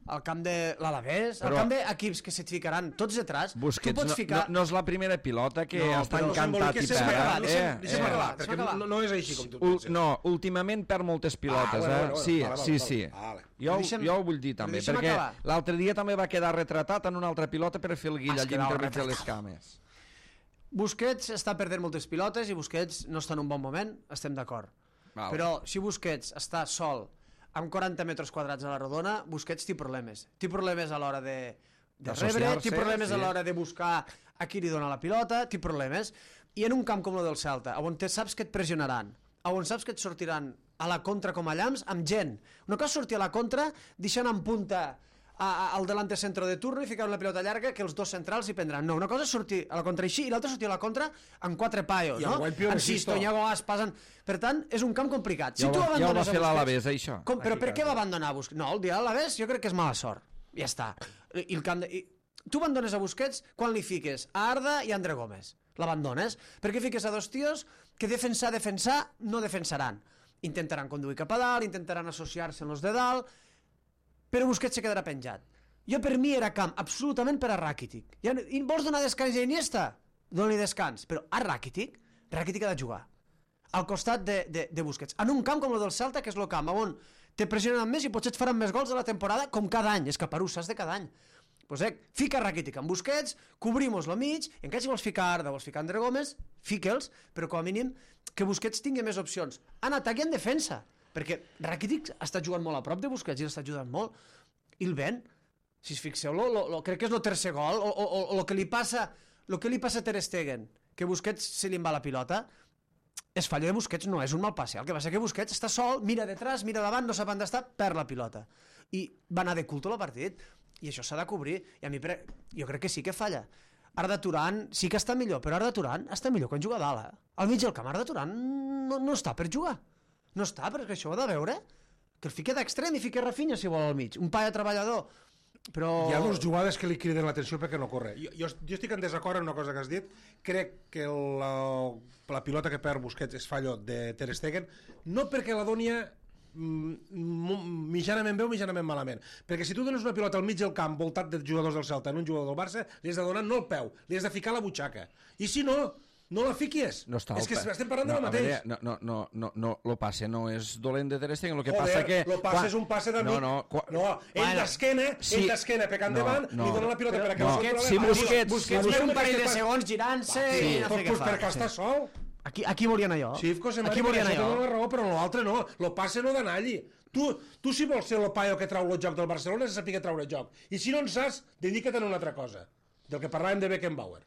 el camp de l'Alavés, el camp d'equips que se't ficaran tots detrás, Busquets tu pots ficar... no és la primera pilota que està encantat i perd. Deixa'm parlar, perquè no és així com tu penses. No, últimament perd moltes pilotes, sí. Jo ho vull dir també, perquè l'altre dia també va quedar retratat en una altra pilota per fer el guill allà entremig de les cames. Busquets està perdent moltes pilotes i Busquets no està en un bon moment, estem d'acord. Però si Busquets està sol amb 40 metres quadrats a la rodona, Busquets té problemes. Té problemes a l'hora de rebre, té problemes a l'hora de buscar a qui li dona la pilota, té problemes. I en un camp com el del Celta, on saps que et pressionaran, on saps que et sortiran a la contra com a llamps, amb gent. Una cosa sortir a la contra, deixant en punta al delante centro de turno i ficar una pilota llarga que els dos centrals hi prendran. No, una cosa és sortir a la contra així i l'altra sortir a la contra amb 4 paios, no? Amb Sisto, Iago Aspas... Per tant, és un camp complicat. Ja ho va fer l'Alavés, això. Però per què va abandonar Busquets? No, el dia de l'Alavés jo crec que és mala sort. Ja està. Tu abandones a Busquets quan li fiques a Arda i a André Gómez. L'abandones. Perquè fiques a dos tios que defensar, no defensaran. Intentaran conduir cap a dalt, intentaran associar-se amb els de dalt, però Busquets se quedarà penjat. Jo per mi era camp absolutament per a Rakitic. I vols donar descans a Iniesta? Dona-li descans. Però a Rakitic ha de jugar al costat de Busquets. En un camp com el del Celta, que és el camp on te pressionen més i potser et faran més gols de la temporada com cada any. És caparús, de cada any. Pues fica Rakitic amb Busquets, cobrim-los la mig, i encara si vols ficar Arda, vols ficar André Gómez, fique'ls, però com a mínim que Busquets tingui més opcions. En atac i en defensa. Perquè Rakitic està jugant molt a prop de Busquets i l'està ajudant molt. I el ven. Si es fixeu, crec que és el tercer gol, o el que li passa a Ter Stegen, que Busquets se li en va la pilota, és fallo de Busquets, no és un mal passe. El que passa que Busquets està sol, mira detrás, mira davant, no sap on està, perd la pilota. I va anar de culto el partit. I això s'ha de cobrir. I a mi jo crec que sí que falla. Arda Turan sí que està millor, però Arda Turan està millor quan juga a dalt. Al mig del camp, Arda Turan no està per jugar. No està, perquè això ho ha de veure. Que el fique d'extrem i fique Rafinha, si vol, al mig. Un paia treballador. Però... Hi ha dues jugades que li criden l'atenció perquè no corre. Jo estic en desacord en una cosa que has dit. Crec que la pilota que perd Busquets és fallo de Ter Stegen, no perquè la doni mitjanament bé o mitjanament malament. Perquè si tu dones una pilota al mig del camp voltat de jugadors del Celta en un jugador del Barça, li has de donar no el peu, li has de ficar la butxaca. I si no la fiquies. No està és que estem parlant del mateix. Lo passe no és dolent de Ter Stegen, el que passa que... Lo passe és un passe d'amic. Ell d'esquena pecant davant, li dona la pilota per a que si Busquets un parell de segons girant-se i no fer què fa. Perquè està sol. Aquí volien allò. Sí, aquí volien allò. La raó, però l'altre no. Lo passe no d'anar allí. Tu si vols ser el paio que trau el joc del Barcelona, has de saber treure el joc. I si no en saps, dedica't a una altra cosa. Del que parlàvem de Beckenbauer.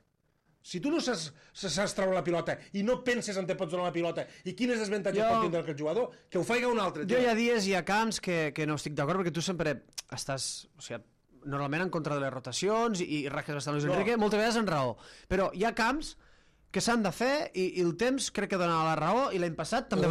Si tu no saps treure la pilota i no penses on te pots donar la pilota i quines desavantatges pot tindre el jugador, que ho faiga un altre. Jo hi ha dies i hi ha camps que no estic d'acord perquè tu sempre estàs... O sigui, normalment en contra de les rotacions i rajes bastant Luis Enrique, moltes vegades en raó. Però hi ha camps que s'han de fer i el temps crec que dona la raó i l'any passat també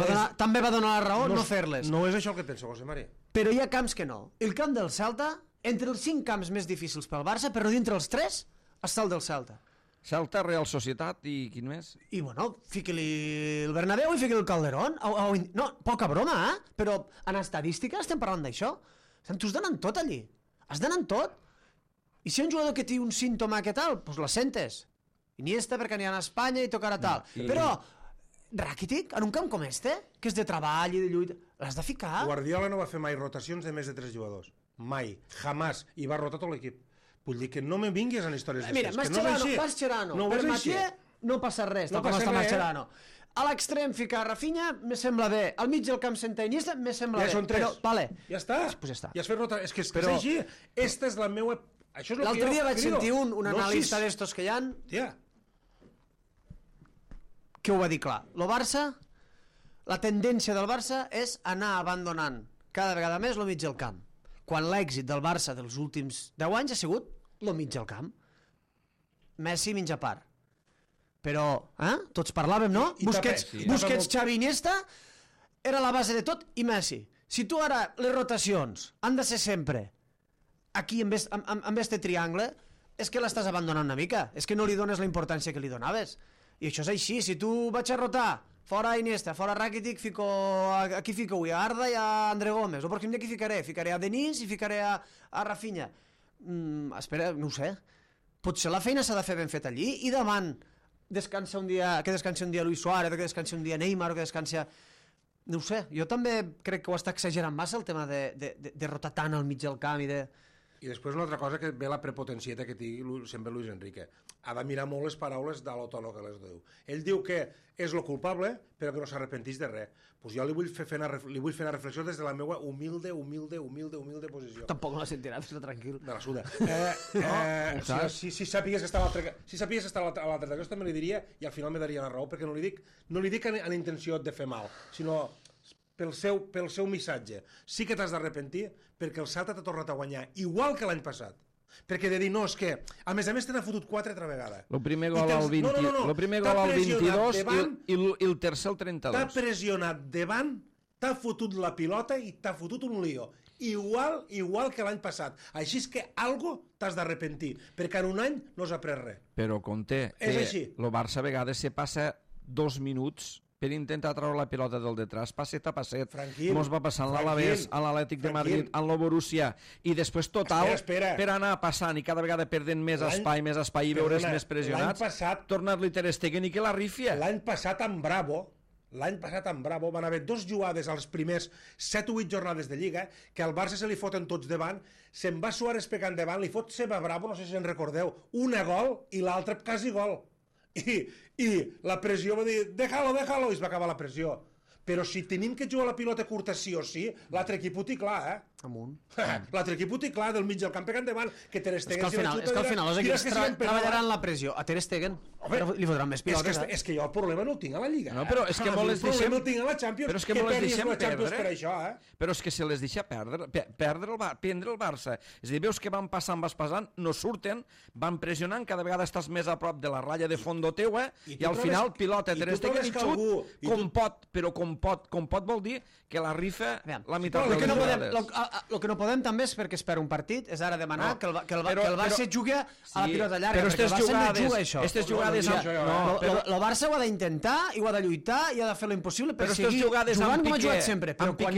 va donar la raó no fer-les. No és això el que penso, José Mari. Però hi ha camps que no. El camp del Celta, entre els 5 camps més difícils pel Barça, però dintre els 3 està el del Celta. Celta, Real Societat i quin més? I bueno, fiqui-li el Bernabéu i fiqui-li el Calderón. No, poca broma, però en estadística estem parlant d'això. Tu has d'anar tot allí. Has d'anar tot. I si hi ha un jugador que té un símptoma que tal, doncs la sentes. Iniesta perquè aniran a Espanya i tocarà tal. Però Rakitic, en un camp com este, que és de treball i de lluita, l'has de ficar. Guardiola no va fer mai rotacions de més de 3 jugadors. Mai. Jamás. I va rotar tot l'equip. Vull dir que no me vinguis en històries Mira, Mascherano, per Mathieu no passa res, tal com està Mascherano. A l'extrem ficar Rafinha, me sembla bé. Al mig del camp sentar Iniesta, me sembla bé. Ja són 3. Vale. Ja està. Pues ja està. Ja has fet rota. És que és així. Esta és la meua... L'altre dia vaig sentir un analista d'estos que hi ha... Tia. Que ho va dir clar. Lo Barça, la tendència del Barça és anar abandonant cada vegada més lo mig del camp. Quan l'èxit del Barça dels últims 10 anys ha sigut lo mig del camp. Messi mig a part. Però, tots parlàvem, no? Busquets, Xavi, Iniesta era la base de tot i Messi. Si tu ara les rotacions han de ser sempre aquí amb este triangle, és que l'estàs abandonant una mica. És que no li dones la importància que li donaves. I això és així. Si tu vaig a rotar fora Iniesta, fora Rakitic, aquí fico a Arda i a André Gómez. El pròxim dia qui ficaré? Ficaré a Denis i ficaré a Rafinha. Espera, no ho sé. Potser la feina s'ha de fer ben feta allí i davant que descansi un dia Luis Suárez, que descansi un dia Neymar, que descansi... No ho sé, jo també crec que ho està exagerant massa el tema de rotar tant al mig del camp i de... I després una altra cosa que ve la prepotencieta que té sempre Luis Enrique. Ha de mirar molt les paraules de l'Otono que les diu. Ell diu que és lo culpable, però que no s'arrepentís de res. Pues jo li vull fer una reflexió des de la meva humilde posició. Tampoc no la sentirà, fes-la tranquil. Me la suda. Si sàpigues que està a l'altre de també li diria, i al final me daria la raó, perquè no li dic en intenció de fer mal, sinó pel seu missatge. Sí que t'has d'arrepentir perquè el Celta t'ha tornat a guanyar, igual que l'any passat. Perquè de dir, no, és que a més te n'ha fotut 4 altra vegada. El primer gol al 22 i el tercer al 32. T'ha pressionat davant, t'ha fotut la pilota i t'ha fotut un lío. Igual que l'any passat. Així és que algo t'has d'arrepentir, perquè en un any no has après res. Però, Conté, el Barça a vegades se passa 2 minuts per intentar treure la pilota del detrás, passet a passet. Mos va passar en l'Alavés, en l'Atlètic de Madrid, en el Borussia, i després total, per anar passant i cada vegada perdent més espai i veure's més pressionats, tornar-li Ter Stegen i que la rifia. L'any passat amb Bravo van haver 2 jugades als primers 7 o 8 jornades de Lliga que al Barça se li foten tots davant, se'n va Suárez pegant davant, li fot Seba Bravo, no sé si en recordeu, una gol i l'altra quasi gol. I la pressió va dir déjalo, i es va acabar la pressió. Però si tenim que jugar la pilota curta sí o sí, l'altre equip ho té clar, Amunt. L'altre equip ho té clar, del mig del camp pegant davant, que Ter Stegen... És que al final els equips treballaran la pressió. A Ter Stegen li fotran més pilotes. És que jo el problema no el tinc a la Lliga. No, però és que molt les deixem... El problema el tinc a la Champions. Però és que molt les deixem perdre. Per això, Però és que se les deixa prendre el Barça. És a dir, veus que van passant, no surten, van pressionant, cada vegada estàs més a prop de la ratlla de fondo teua, i al final pilota Ter Stegen i xut com pot, però com pot vol dir que la rifa la meitat de les jugades. El que no podem també és perquè es per un partit, és ara demanar que el Barça jugui a la pilota llarga, perquè el Barça no juga això. Aquestes jugades... El Barça ho ha de intentar, i ho ha de lluitar, i ha de fer l'impossible per seguir jugant com ha jugat sempre, però quan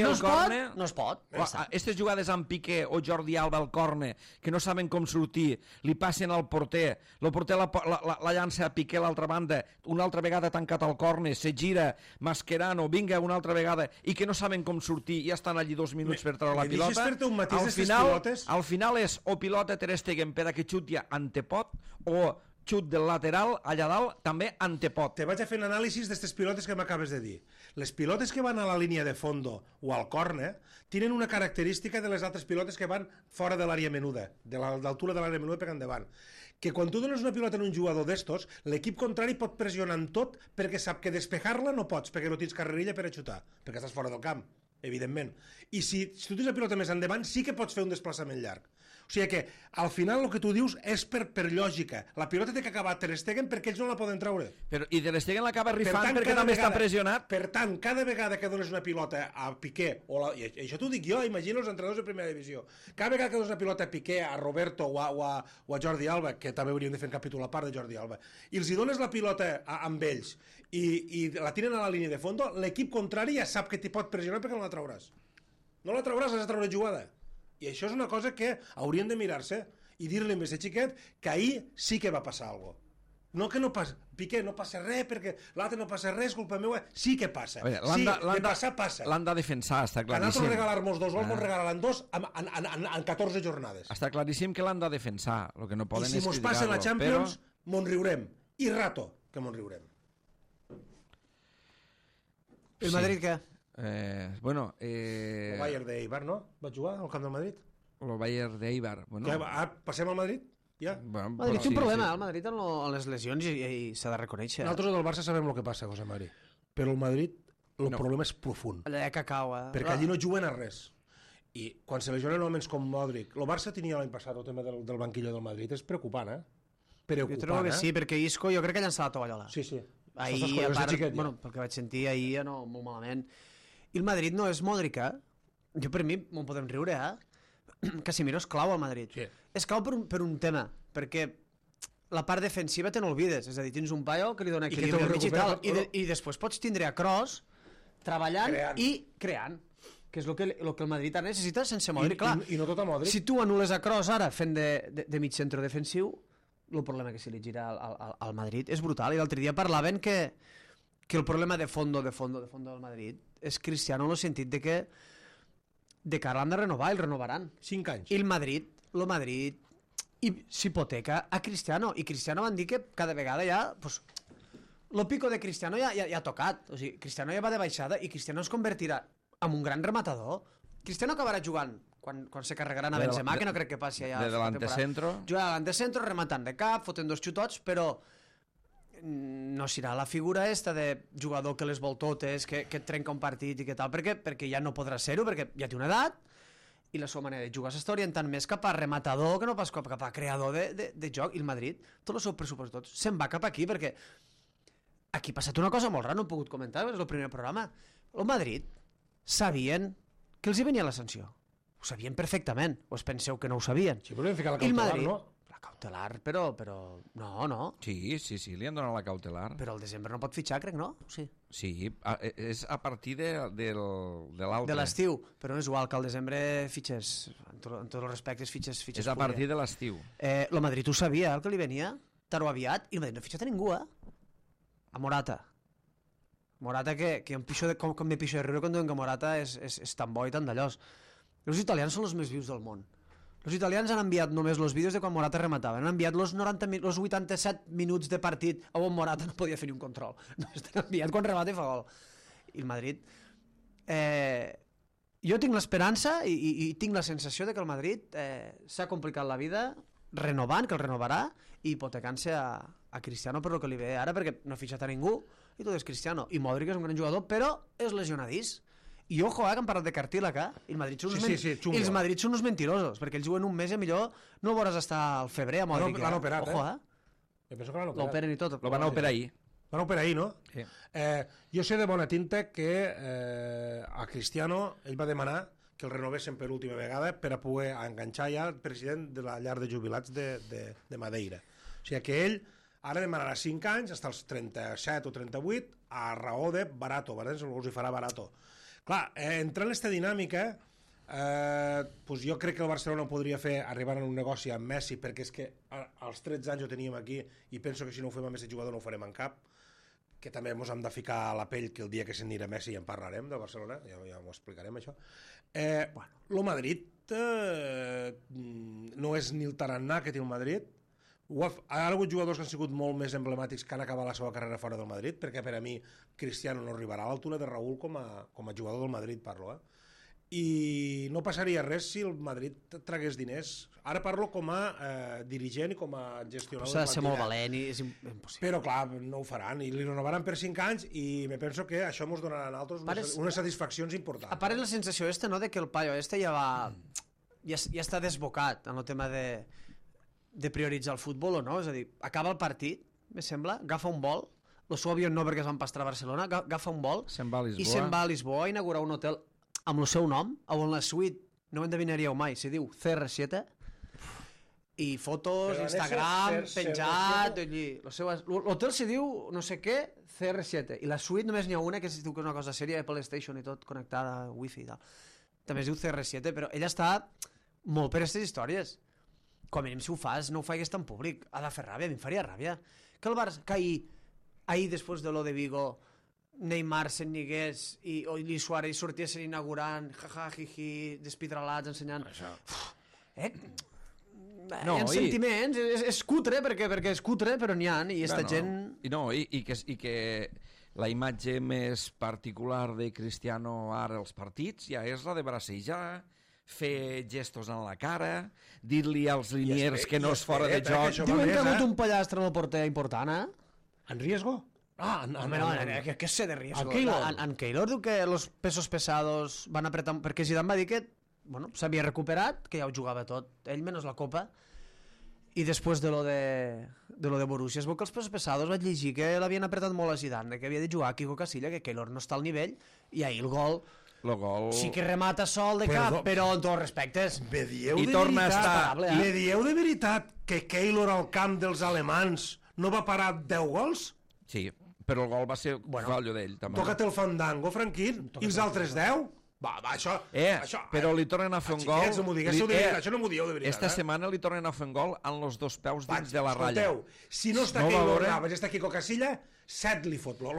no es pot. Aquestes jugades amb Piqué o Jordi Alba al córner, que no saben com sortir, li passen al porter, el porter la llança a Piqué a l'altra banda, una altra vegada tancat al córner, se gira, Mascherano, vinga una altra vegada, i que no saben com sortir i estan allí 2 minuts per treure la pilota. Al final és o pilota Ter Stegen per a que xuti antepot o xut del lateral allà dalt també antepot. Te vaig a fer un anàlisi d'aquestes pilotes que m'acabes de dir. Les pilotes que van a la línia de fondo o al córner tenen una característica de les altres pilotes que van fora de l'àrea menuda, de l'altura de l'àrea menuda per endavant. Que quan tu dones una pilota en un jugador d'estos, l'equip contrari pot pressionar en tot perquè sap que despejar-la no pots, perquè no tens carrerilla per a xutar, perquè estàs fora del camp, evidentment. I si tu tens la pilota més endavant, sí que pots fer un desplaçament llarg. O sigui que, al final, el que tu dius és per lògica. La pilota té que acabar Ter Stegen perquè ells no la poden treure. I Ter Stegen l'acaba rifant perquè també està pressionat. Per tant, cada vegada que dones una pilota a Piqué, i això t'ho dic jo, imagino els entrenadors de primera divisió, cada vegada que dones una pilota a Piqué, a Roberto o a Jordi Alba, que també hauríem de fer un capítol a part de Jordi Alba, i els hi dones la pilota amb ells i la tiren a la línia de fondo, l'equip contrari ja sap que t'hi pot pressionar perquè no la trauràs. No la trauràs, has de treure jugada. I això és una cosa que haurien de mirar-se i dir-li a aquest xiquet que ahir sí que va passar alguna cosa. No que no passa, Piqué, no passa res, perquè l'altre no passa res, culpa meva. Sí que passa. Veure, Sí, de passar, passa. L'han de defensar, està Que claríssim. nosaltres regalar-nos 2 gols, ens regalaran 2 en 14 jornades. Està claríssim que l'han de defensar. El que no I poden si és mos passen la criticar-lo, Champions, mos riurem. I rato que mos riurem. El Madrid què? Bueno, El Bayern d'Eibar, no? Va jugar al camp del Madrid? el Bayern d'Eibar. Bueno, Passem al Madrid? Ja. bueno, El Madrid però té un sí, problema, sí. el Madrid en les lesions i s'ha de reconèixer. Nosaltres del Barça sabem el que passa, José Mari. Però el Madrid, el problema és profund. Allà de cacau, Perquè allí no juguen a res. I quan se lesionen homes com Modric... El Barça tenia l'any passat el tema del banquillo del Madrid. És preocupant, Jo Preocupant, trobo que sí, perquè Isco jo crec que ha llançat la tovallola. Sí, sí. Ahir, S'està a collons de part, xiquet, ja. bueno, pel que vaig sentir ahir, no, molt malament. I el Madrid no és Modric, Jo, per mi, m'ho podem riure, Casemiro és clau al Madrid. Sí. És clau per un tema, perquè la part defensiva te n'olvides. És a dir, tens un paio que li dona I que equilibri te'l al mig i tal, recupera, i després pots tindre a Kroos treballant Creant. i creant, que és el que el Madrid ara necessita sense Modric. Clar, I no tot a Modric. si tu anules a Kroos ara fent de mig centre defensiu, el problema que se li gira al Madrid és brutal. I l'altre dia parlaven que el problema de fondo del Madrid és Cristiano en el sentit de que ara l'han de renovar i el renovaran. 5 anys. I el Madrid s'hipoteca a Cristiano. I Cristiano van dir que cada vegada ja... Pues, lo pico de Cristiano ja ha tocat. O sigui, Cristiano ja va de baixada i Cristiano es convertirà en un gran rematador. Cristiano acabarà jugant quan se carregaran a Benzema, que no crec que passi allà. De delante centro. Jugarà delante centro, rematant de cap, fotent 2 xutots, però no serà la figura esta de jugador que les vol totes, que et trenca un partit i que tal, perquè ja no podrà ser-ho, perquè ja té una edat i la seva manera de jugar s'està orientant més cap a rematador que no pas cap a creador de joc. I el Madrid, tot el seu pressupost tot, se'n va cap aquí, perquè aquí ha passat una cosa molt rara, no he pogut comentar, és el primer programa. El Madrid sabien que els hi venia la sanció. Ho sabien perfectament, o es penseu que no ho sabien? Sí, però hem ficat la I el cautelar, Madrid, no? la cautelar, però no. Sí, li han donat la cautelar. Però al desembre no pot fitxar, crec, no? Sí. Sí, és a partir de l'altre. De l'estiu, però no és igual que al desembre fitxes, en tots els respectes fitxes És a partir de l'estiu. El Madrid ho sabia, el que li venia, tard o aviat, i el Madrid no ha fitxat a ningú, A Morata. Morata que em pixo com me pixo de riure quan diuen que Morata és tan bo i tan d'allòs. Els italians són els més vius del món. Els italians han enviat només els vídeos de quan Morata rematava. Han enviat els 87 minuts de partit on Morata no podia fer ni un control. Només t'han enviat quan remata i fa gol. I el Madrid... Jo tinc l'esperança i tinc la sensació de que el Madrid s'ha complicat la vida renovant, que el renovarà, i hipotecant-se a Cristiano per el que li ve ara, perquè no ha fitxat a ningú i tot és Cristiano. I Modric és un gran jugador, però és lesionadís. I ojo, que han parlat de Cartílag, i el Madrid són els Madrid són uns mentirosos, perquè ells juguen un mes i millor no veuràs estar al febrer a Modric. L'han operat, ojo, Jo penso que l'han operat. L'operen i tot. Lo van a operar ahir. Van operar ahir, no? Sí. Jo sé de bona tinta que a Cristiano ell va demanar que el renovessin per última vegada per a poder enganxar ja el president de la llar de jubilats de Madeira. O sigui que ell ara demanarà 5 anys, fins als 37 o 38, a raó de barato, els hi farà barato. Clar, entrant en aquesta dinàmica, doncs jo crec que el Barcelona podria fer arribar a un negoci amb Messi, perquè és que als 13 anys ho teníem aquí i penso que si no ho fem amb Messi jugador no ho farem en cap, que també ens hem de ficar a la pell que el dia que s'anirà Messi ja en parlarem del Barcelona, ja ho explicarem això. El Madrid no és ni el tarannà que té el Madrid. Ha hagut jugadors que han sigut molt més emblemàtics que han acabat la seva carrera fora del Madrid, perquè per a mi Cristiano no arribarà a l'altura de Raúl com a jugador del Madrid, parlo. I no passaria res si el Madrid tragués diners. Ara parlo com a dirigent i com a gestionador de plantilla. S'ha de ser molt valent i és impossible. Però clar, no ho faran i li renovaran per 5 anys i me penso que això ens donarà a nosaltres unes satisfaccions importants. A part és la sensació no, de que el paio ja està desbocat en el tema de prioritzar el futbol o no, és a dir, acaba el partit, me sembla, agafa un vol, el seu avió no perquè es van pastar a Barcelona, agafa un vol i se'n va a Lisboa a inaugurar un hotel amb el seu nom, on la suite, no ho endevinaríeu mai, se diu CR7, i fotos, Instagram, penjat, l'hotel se diu no sé què, CR7, i la suite només n'hi ha una que es diu que és una cosa sèria de PlayStation i tot connectada, wifi i tal, també es diu CR7, però ella està molt per aquestes històries. com a mínim si ho fas, no ho faigues tan públic. Ha de fer ràbia, a mi em faria ràbia. Que el Barça, que ahir després de lo de Vigo, Neymar se'n negués i Luis Suárez sortiessin inaugurant, jaja, jiji, despitralats, ensenyant... Hi ha sentiments, és cutre, perquè és cutre, però n'hi ha, i aquesta gent... I que la imatge més particular de Cristiano ara als partits ja és la de bracejar, fer gestos en la cara, dir-li als liniers que no és fora de joc. Diuen que ha hagut un pollastre en el porter important, En riesgo? què sé de riesgo? En Keylor diu que los pesos pesados van apretar... Perquè Zidane va dir que s'havia recuperat, que ja ho jugava tot, ell menys la Copa, i després de lo de Borussia es veu que els pesos pesados vaig llegir que l'havien apretat molt a Zidane, que havia de jugar a Kiko Casilla, que Keylor no està al nivell, i ahir el gol sí que remata sol de cap, però amb tots respectes. Me dieu de veritat que Keylor al camp dels alemans no va parar 10 gols? Sí, però el gol va ser fallo d'ell, també. Toca't el fandango, Franquín, i els altres 10? Va, això... però li tornen a fer un gol... Això no m'ho dieu de veritat. Esta setmana li tornen a fer un gol amb els dos peus dins de la ratlla. Si no està Keylor Navas, està Kiko Casilla, 7 li fot, lo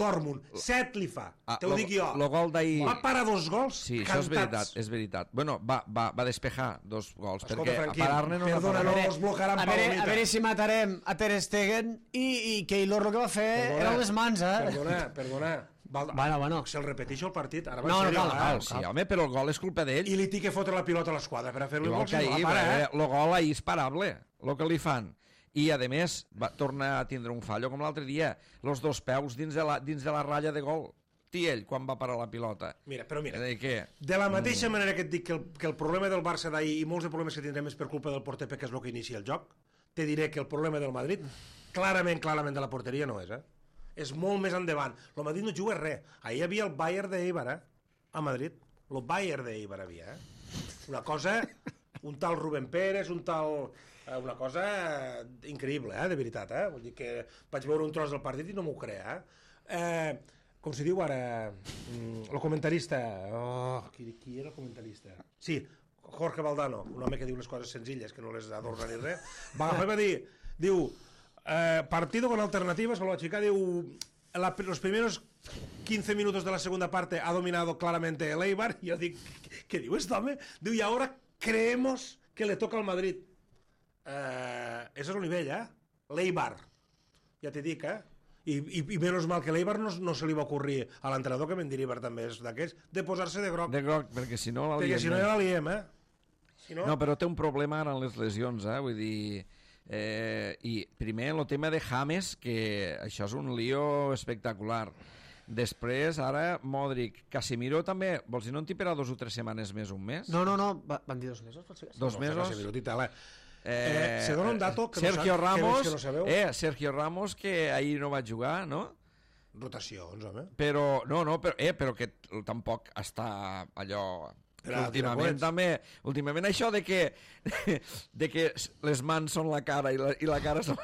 Dortmund, 7 li fa, te ho dic jo. Lo gol d'ahir... Va parar 2 gols sí, cantats. Sí, és veritat. Bueno, va despejar 2 gols, escolta, perquè a parar-ne no els blocaran a veure si matarem a Ter Stegen i Keylor el que va fer eren les mans, Perdona. Bueno. Si el repeteixo el partit, ara va en sèrio. Sí, home, però el gol és culpa d'ell. I li té que fotre la pilota a l'esquadra per a fer-li gol. El gol ahir és parable, el que li fan. I, a més, va tornar a tindre un fallo com l'altre dia. Els 2 peus dins de la ratlla de gol. Ell, quan va parar la pilota. Mira, de la mateixa manera que et dic que el problema del Barça d'ahir i molts de problemes que tindrem és per culpa del porter, que és el que inicia el joc, te diré que el problema del Madrid, clarament de la porteria no és, és molt més endavant. El Madrid no juga res. Ahir hi havia el Bayern d'Eibar, a Madrid. El Bayern d'Eibar havia, Una cosa, un tal Rubén Pérez, un tal... Una cosa increïble, de veritat, Vull dir que vaig veure un tros del partit i no m'ho crea, Com se diu ara... El comentarista... Qui era el comentarista? Sí, Jorge Valdano, un home que diu les coses senzilles, que no les adorna ni res. Va agafar i va dir... Diu... partido con alternativas, con la chica, los primeros 15 minutos de la segunda parte ha dominado claramente el Eibar, y yo digo, ¿qué digo esto, hombre? Digo, y ahora creemos que le toca al Madrid. Ese és el nivell, l'Eibar, ja t'he dit, i menys mal que l'Eibar no se li va ocurrir a l'entrenador, que me'n diria també és d'aquests, de posar-se de groc. De groc, perquè si no la liem. Perquè si no ja la liem, No, però té un problema ara en les lesions, vull dir... I primer el tema de James, que això és un lío espectacular. Després, ara, Modric, Casemiro també, vols dir, no en té per a 2 o 3 setmanes més, un mes? No, van dir 2 mesos, pot ser? 2 mesos? Se dona un dato que Sergio Ramos, que no sabeu. Sergio Ramos, que ahir no va jugar, no? Rotacions, home. Però que tampoc està allò... Últimament això de que les mans són la cara i la cara són...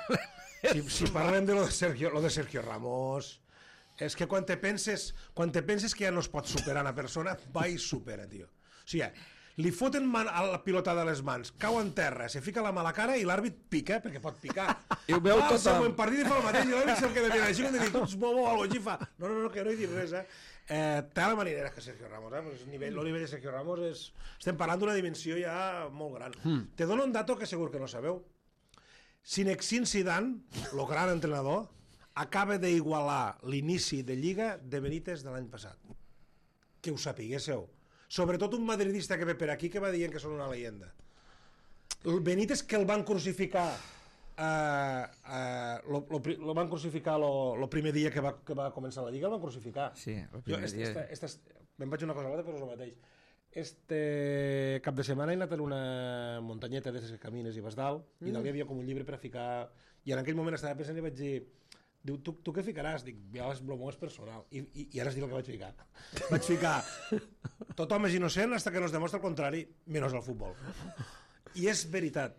Si parlem de lo de Sergio Ramos, és que quan te penses que ja no es pot superar una persona, va i supera, tio. O sigui, li foten a la pilota de les mans, cau en terra, se fica la mà a la cara i l'àrbit pica, perquè pot picar. I ho veu tothom. El següent partit i fa el mateix, i l'àrbit se'l queda mirant així, com de dir, ets bobo o alguna cosa, i fa, no, que no hi dic res, té la marinera que Sergio Ramos, el nivell de Sergio Ramos estem parlant d'una dimensió ja molt gran. Te dono un dato que segur que no sabeu. Zinedine Zidane, el gran entrenador, acaba d'igualar l'inici de Lliga de Benítez de l'any passat. Que ho sapiguéssiu. Sobretot un madridista que ve per aquí que va dient que són una leyenda. El Benítez, que el van crucificar lo van crucificar el primer dia que va començar la Lliga, el van crucificar. Sí, el primer dia. Me'n vaig una cosa a l'altra, però és el mateix. Este cap de setmana he anat en una muntanyeta d'aquestes que camines i vas dalt, i dalt hi havia com un llibre per a ficar, i en aquell moment estava pensant i vaig dir, diu, tu què ficaràs? Dic, ja el meu és personal, i ara es diu el que vaig ficar. Vaig ficar, tothom és innocent fins que no es demostra el contrari, menys el futbol. I és veritat.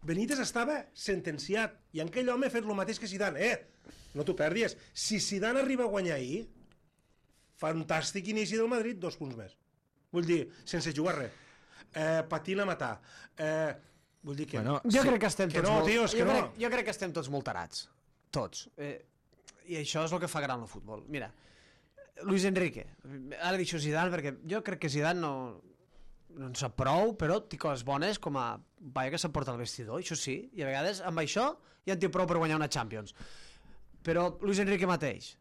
Benítez estava sentenciat, i aquell home ha fet el mateix que Zidane. No t'ho perdis. Si Zidane arriba a guanyar ahir, fantàstic inici del Madrid, 2 punts més. Vull dir, sense jugar res. Patint a matar. Vull dir que... Bueno, Jo crec que estem que tots no, molt... tio, és que no. Jo crec que estem tots molt tarats. Tots. I això és el que fa gran el futbol. Mira, Luis Enrique. Ara deixo Zidane perquè jo crec que Zidane no en sap prou, però té coses bones com a paio que s'aporta al vestidor, això sí, i a vegades amb això ja en té prou per guanyar una Champions. Però Luis Enrique mateix.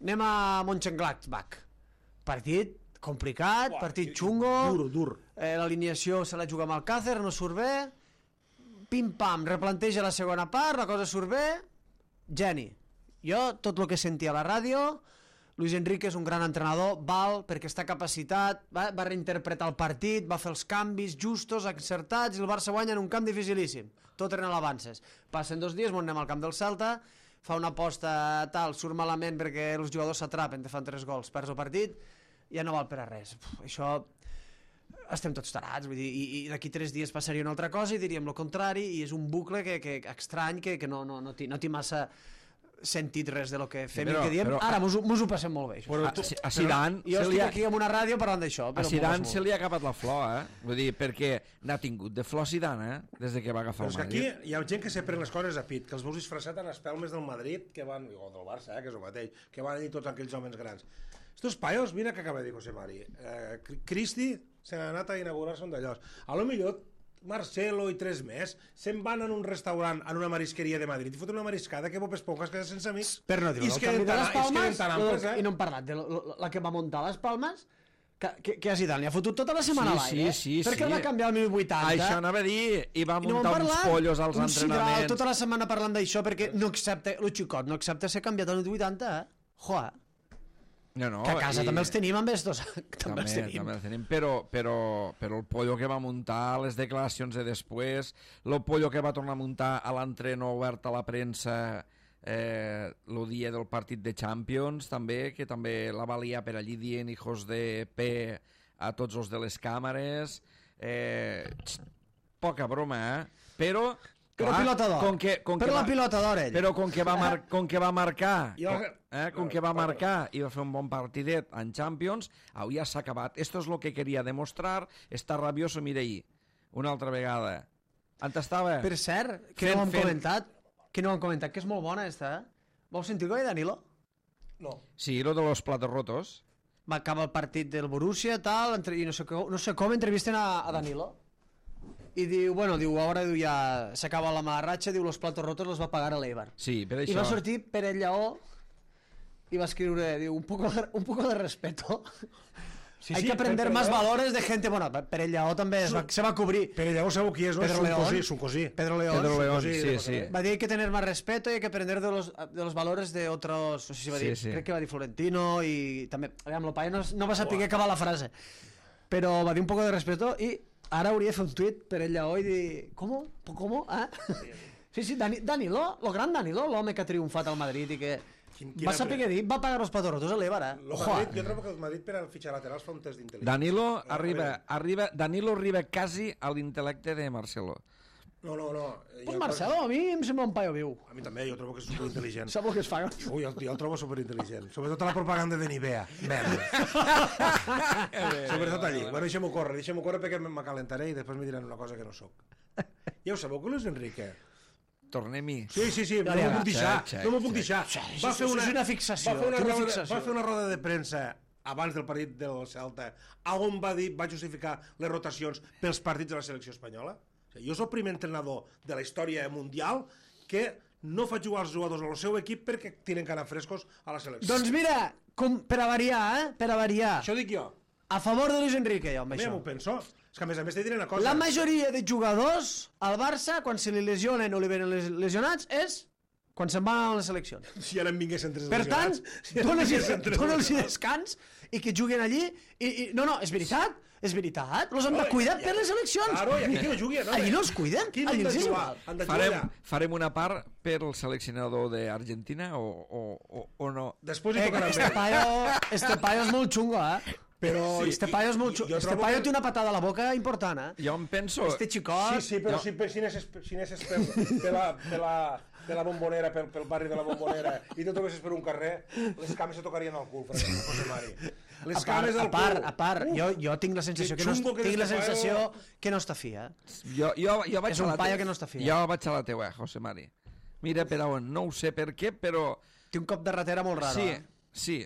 Anem a Mönchengladbach. Partit complicat, partit xungo. Dur. L'alineació se la juga amb Alcácer, no surt bé. Pim-pam, replanteja la segona part, la cosa surt bé. Geni. Jo, tot el que sentia a la ràdio, Luis Enrique és un gran entrenador, val, perquè està capacitat, va reinterpretar el partit, va fer els canvis justos, encertats, i el Barça guanya en un camp dificilíssim. Tot eren avances. Passen 2 dies, anem al camp del Celta, fa una aposta tal, surt malament perquè els jugadors s'atrapen, te fan 3 gols, perds el partit, ja no val per a res. Això estem tots tarats, vull dir, i d'aquí 3 dies passaria una altra cosa i diríem el contrari, i és un bucle estrany que no té massa sentit res de lo que fem i que diem. Ara mos ho passem molt bé. A Zidane... Jo estic aquí amb una ràdio parlant d'això. A Zidane se li ha acabat la flor, Vull dir, perquè n'ha tingut de flor Zidane, des de que va agafar el Madrid. Però és que aquí hi ha gent que se pren les coses a pit, que els veus disfressat en espelmes del Madrid, que van, o del Barça, que és el mateix, que van dir tots aquells homes grans. Estos paios, mira que acaba de dir José Mari, Cristi se n'ha anat a inaugurar-se un d'allòs. A lo millor Marcelo i 3 més se'n van en un restaurant, en una marisqueria de Madrid i foten una mariscada que popes poques queda sense amics. Per no dir-ho, el canvi de les Palmes, i no hem parlat de la que va muntar les Palmes, que a Zidane li ha fotut tota la setmana a l'aire. Sí. Perquè el va canviar al 1080. Això anava a dir, i va muntar uns pollos als entrenaments. Sidral, tota la setmana parlant d'això perquè no accepta, el xicot no accepta ser canviat al 1080, Joa. No, que a casa també els tenim amb estos. També els tenim, però el pollo que va muntar, les declaracions de després, el pollo que va tornar a muntar a l'entreno obert a la premsa el dia del partit de Champions, també, que també la valia per allí dient hijos de P a tots els de les càmeres. Poca broma, però... Però pilota d'or. La pilota d'or, ell. Però com que va marcar i va fer un bon partidet en Champions, ja s'ha acabat. Esto és lo que quería demostrar. Està rabioso, mira ahí, una altra vegada. On estava? Per cert, que no ho hem comentat, que és molt bona esta, Vols sentir el Danilo? No. Sí, lo de los platos rotos. Va acabar el partit del Borussia, tal, i no sé com entrevisten a Danilo. I diu, ara ja s'acaba la marratxa, diu, los platos rotos los va pagar a l'Eibar. Sí, per això. I va sortir Pérez Lleó i va escriure, diu, un poco de respeto. Hay que aprender más valores de gente... Bueno, Pérez Lleó també se va cobrir. Pérez Lleó sabeu qui és, no? És un cosí. Pedro León, sí. Va dir, hay que tener más respeto y hay que aprender de los valores de otros... No sé si va dir, crec que va dir Florentino i també... Aviam, el paio no va saber acabar la frase. Però va dir un poco de respeto i... Ara hauria de fer un tuit per ell lleó i dir... ¿Cómo? Sí, Danilo, el gran Danilo, l'home que ha triomfat al Madrid i que va saber què dir, va pagar els patos rotos a l'Eibar, Jo trobo que el Madrid per al fitxar laterals fa un test d'intel·ligència. Danilo arriba quasi a l'intel·lecte de Marcelo. No. Pues Marcelo, a mi em sembla un paio viu. A mi també, jo trobo que és superintel·ligent. Sap el que es fa? Ui, jo el trobo superintel·ligent. Sobretot a la propaganda de Nivea. Sobretot allí. Bueno, deixem-ho córrer perquè m'acalentaré i després me diran una cosa que no soc. Ja ho sabeu, que Luis Enrique... Tornem-hi. Sí, no m'ho puc deixar. Va fer una fixació. Va fer una roda de premsa abans del partit del Celta on va justificar les rotacions pels partits de la selecció espanyola. Jo soc el primer entrenador de la història mundial que no fa jugar els jugadors al seu equip perquè tenen que anar frescos a la selecció. Doncs mira, per a variar, Això dic jo. A favor de Luis Enrique, jo, amb això. M'ho penso. És que a més te diré una cosa. La majoria de jugadors al Barça, quan se li lesionen o li venen lesionats, és quan se'n van a les seleccions. Si ara em vinguessin 3 lesionats... Per tant, dona'ls descans i que juguen allí. No, és veritat. Los han de cuidar per les eleccions. Claro, i aquí qui no jugui, no? Allí no els cuiden. Allí els és igual. Farem una part per el seleccionador d'Argentina o no? Després hi tocarà més. Este paio és molt xungo, Però este paio és molt xungo. Este paio té una patada a la boca important, Jo em penso... Este xicot... Sí, però si anessis per la Bombonera, pel barri de la Bombonera, i tu trobessis per un carrer, les cames se tocarien al cul, José Mari. les cames al cul. A part, jo tinc la sensació que no està fi, eh? Jo vaig És un paio que no està fi. Jo vaig a la teua, José Mari. Mira per on, no ho sé per què, però... Té un cop de ratera molt raro, Sí.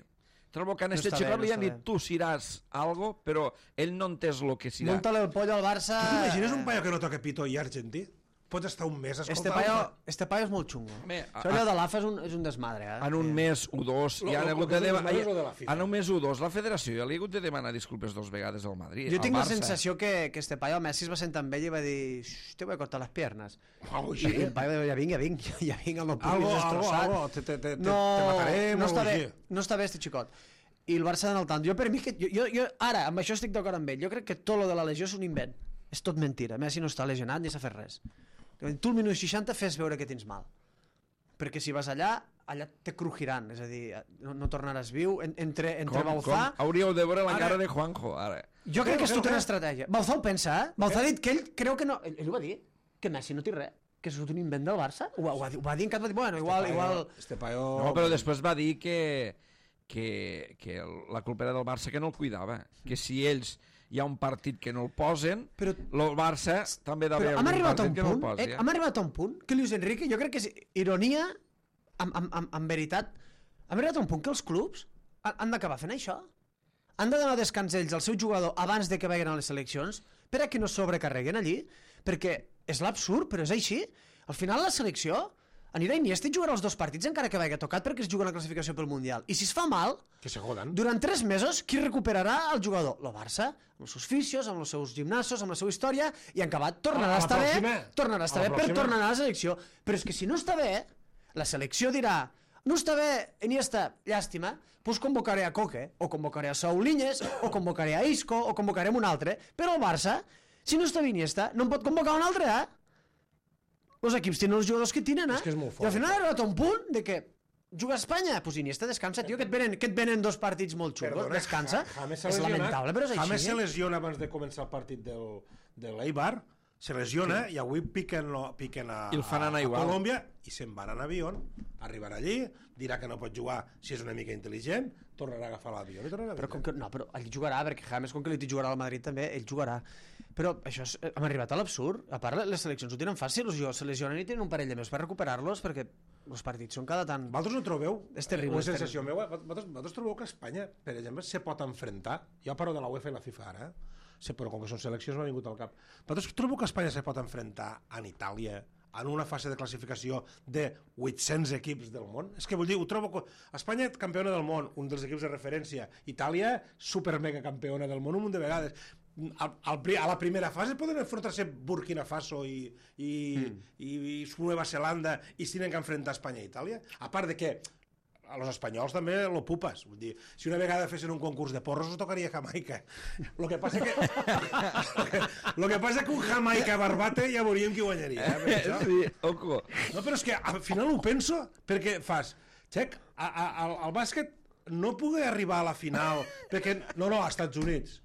Trobo que en este està bé, xicot li no han està dit tu seràs algo, però ell no entès lo que serà. Munta-li el pollo al Barça... Tu t'imagines un paio que no toca pito i argentí? Pots estar un mes escoltant... Este paio és molt xungo. Home, Allò de l'AFA és un desmadre, eh? En un mes U2 ja han hagut de demanar... o de la FIFA? En un mes U2 la federació ja li ha hagut de demanar disculpes 2 vegades al Madrid. Jo tinc la Barça. sensació que este paio, Messi es va sentar amb ell i va dir te voy a cortar les piernas. Algo I així. el paio ja vinc, el meu públic Algo, destrossat. te matarem, no algo està bé, així. no està bé este xicot. I el Barça en el tant. Jo per mi, jo ara, amb això estic d'acord amb ell. Jo crec que tot lo de la lesió és un invent. És tot mentira. Messi no està lesionat ni s'ha fet res. Tu al minut 60 fes veure que tens mal. Perquè si vas allà te crujiran. És a dir, no tornaràs viu. Entre Bauzá... Hauríeu de veure la cara de Juanjo, ara. Jo crec que és tota una estratègia. Bauzá ho pensa, eh? Bauzá ha dit que ell creu que no... Ell ho va dir, que Messi no té res. Que és un invent del Barça. Ho va dir en cap... Bueno, igual... Este paio... No, però després va dir que la culpa era del Barça que no el cuidava. Que si ells hi ha un partit que no el posen, però el Barça també ha d'haver un partit que no el posi. Hem arribat a un punt que Luis Enrique, jo crec que és ironia, en veritat, hem arribat a un punt que els clubs han d'acabar fent això. Han de donar descans ells al seu jugador abans de que vagin a les seleccions per a que no sobrecarreguen allí, perquè és l'absurd, però és així. Al final la selecció anirà Iniesta i jugarà els 2 partits encara que vagi tocat perquè es juga una classificació pel Mundial. I si es fa mal, que se jodan. Durant 3 mesos, qui recuperarà el jugador? El Barça, amb els seus fisios, amb els seus gimnasos, amb la seva història, i en acabat tornarà a estar bé per tornar a la selecció. Però és que si no està bé, la selecció dirà no està bé, Iniesta, llàstima, doncs convocaré a Coque, o convocaré a Sauliñes, o convocaré a Isco, o convocaré un altre. Però el Barça, si no està bé Iniesta, no en pot convocar un altre, eh? Els equips tenen els jugadors que tenen, eh? És que és molt fort. I al final ha arribat a un punt de que juga a Espanya, doncs Iniesta descansa, tio, que et venen 2 partits molt xungos, descansa. És lamentable, però és així. James se lesiona abans de començar el partit de l'Eibar, se lesiona i avui piquen a Colòmbia i se'n van en avió, arribarà allí, dirà que no pot jugar si és una mica intel·ligent, tornarà a agafar l'avió i tornarà a vindre. Però ell jugarà, perquè James, com que li jugarà al Madrid també, ell jugarà. Però això hem arribat a l'absurd. A part, les seleccions ho tenen fàcil, se lesionen i tenen un parell de mesos per recuperar-los, perquè els partits són cada tant... Vosaltres no trobeu? És terrible. Una sensació meva, vosaltres trobeu que Espanya, per exemple, se pot enfrontar, jo parlo de la UEFA i la FIFA ara, però com que són seleccions m'ha vingut al cap, vosaltres trobeu que Espanya se pot enfrontar en Itàlia, en una fase de classificació de 800 equips del món? És que vull dir, ho trobo... Espanya, campiona del món, un dels equips de referència. Itàlia, super mega campiona del món un munt de vegades. A la primera fase poden enfrontar-se Burkina Faso i Nova Zelanda i si tenen que enfrontar Espanya i Itàlia. A part de que a los espanyols també lo pupes. Vull dir, si una vegada fessin un concurs de porros, us tocaria Jamaica. Lo que passa que un Jamaica barbate ja veuríem qui guanyaria. Sí, oco. No, però és que al final ho penso, perquè fas... Xec, al bàsquet no pugui arribar a la final, perquè... No, als Estats Units.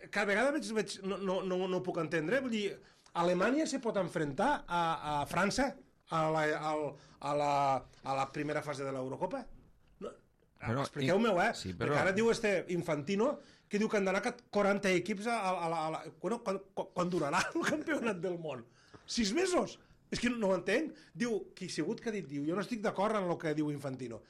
Cada vegada veig no ho puc entendre. Vull dir, Alemanya se pot enfrontar a França a la primera fase de l'Eurocopa? No, expliqueu-me-ho, sí, perquè ara diu Infantino que diu que han d'anar 40 equips quan durarà el campionat del món? 6 mesos? És que no ho entenc. Diu, qui ha sigut que ha dit, jo no estic d'acord en el que diu Infantino.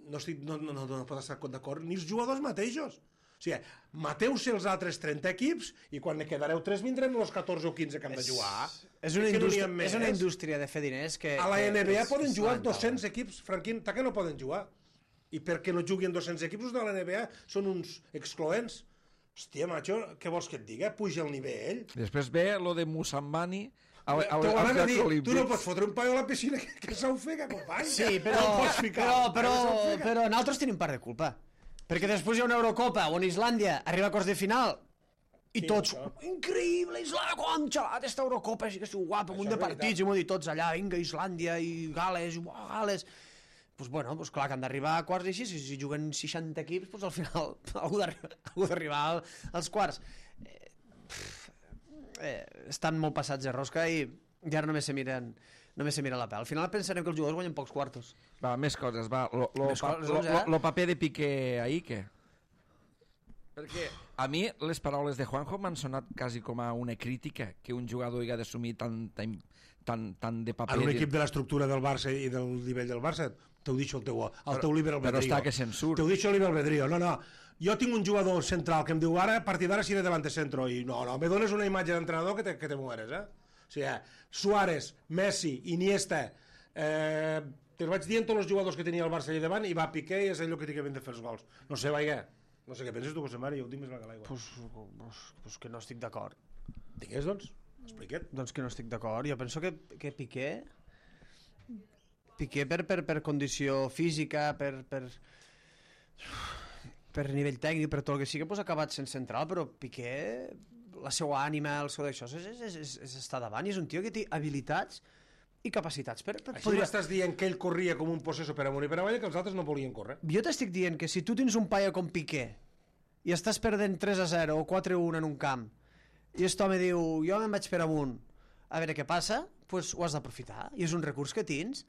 No pot estar d'acord ni els jugadors mateixos. O sigui, mateu-se els altres 30 equips i quan ne quedareu 3 vindrem els 14 o 15 que han de jugar. És una indústria de fer diners que... A la NBA poden jugar 200 equips, Franquín, que no poden jugar? I perquè no juguin 200 equips, els de la NBA són uns excloents. Hòstia, macho, què vols que et diga? Puja el nivell. Després ve lo de Musambani T'ho van a dir, tu no pots fotre un paio a la piscina que s'ho ofega, company. Sí, però nosaltres tenim part de culpa. Perquè després hi ha una Eurocopa on Islàndia arriba a quarts de final i tots, increïble, Islàndia, com xalat, esta Eurocopa, sí que és guapa, un munt de partits, i m'ho dit tots allà, vinga, Islàndia i Gales, Gales... Doncs bueno, clar, que han d'arribar a quarts i així, si juguen 60 equips, doncs al final algú d'arribar als quarts. Estan molt passats de rosca i ara només se miren la pèl. Al final pensarem que els jugadors guanyen pocs quartos. Va, més coses, va. Lo paper de Piqué ahir, què? Perquè a mi les paraules de Juanjo m'han sonat quasi com a una crítica que un jugador hi ha d'assumir tant de paper. En un equip de l'estructura del Barça i del nivell del Barça, t'ho deixo el teu libre albedrío. Però està que se'n surt. T'ho deixo el libre albedrío. No. Jo tinc un jugador central que em diu ara, a partir d'ara seré delante centro. I no, me dones una imatge d'entrenador que te mueres, O sigui, Suárez, Messi, Iniesta, te'ls vaig dient tots els jugadors que tenia el Barça allà davant i va Piqué i és allò que té que de fer els gols. No sé, vaja. No sé què penses tu, José Mari, jo ho tinc més clar que l'aigua. Pues que no estic d'acord. Digues, doncs, explica't. Doncs que no estic d'acord. Jo penso que Piqué per condició física, per nivell tècnic, per tot el que sigui, pues ha acabat sent central, però Piqué, la seva ànima, el seu d'això, és estar davant, i és un tio que té habilitats i capacitats Així m'estàs dient que ell corria com un possesso per amunt i per avall, que els altres no volien córrer. Jo t'estic dient que si tu tens un paio com Piqué i estàs perdent 3-0 o 4-1 en un camp i aquest home diu, jo me'n vaig per amunt a veure què passa, pues ho has d'aprofitar i és un recurs que tens.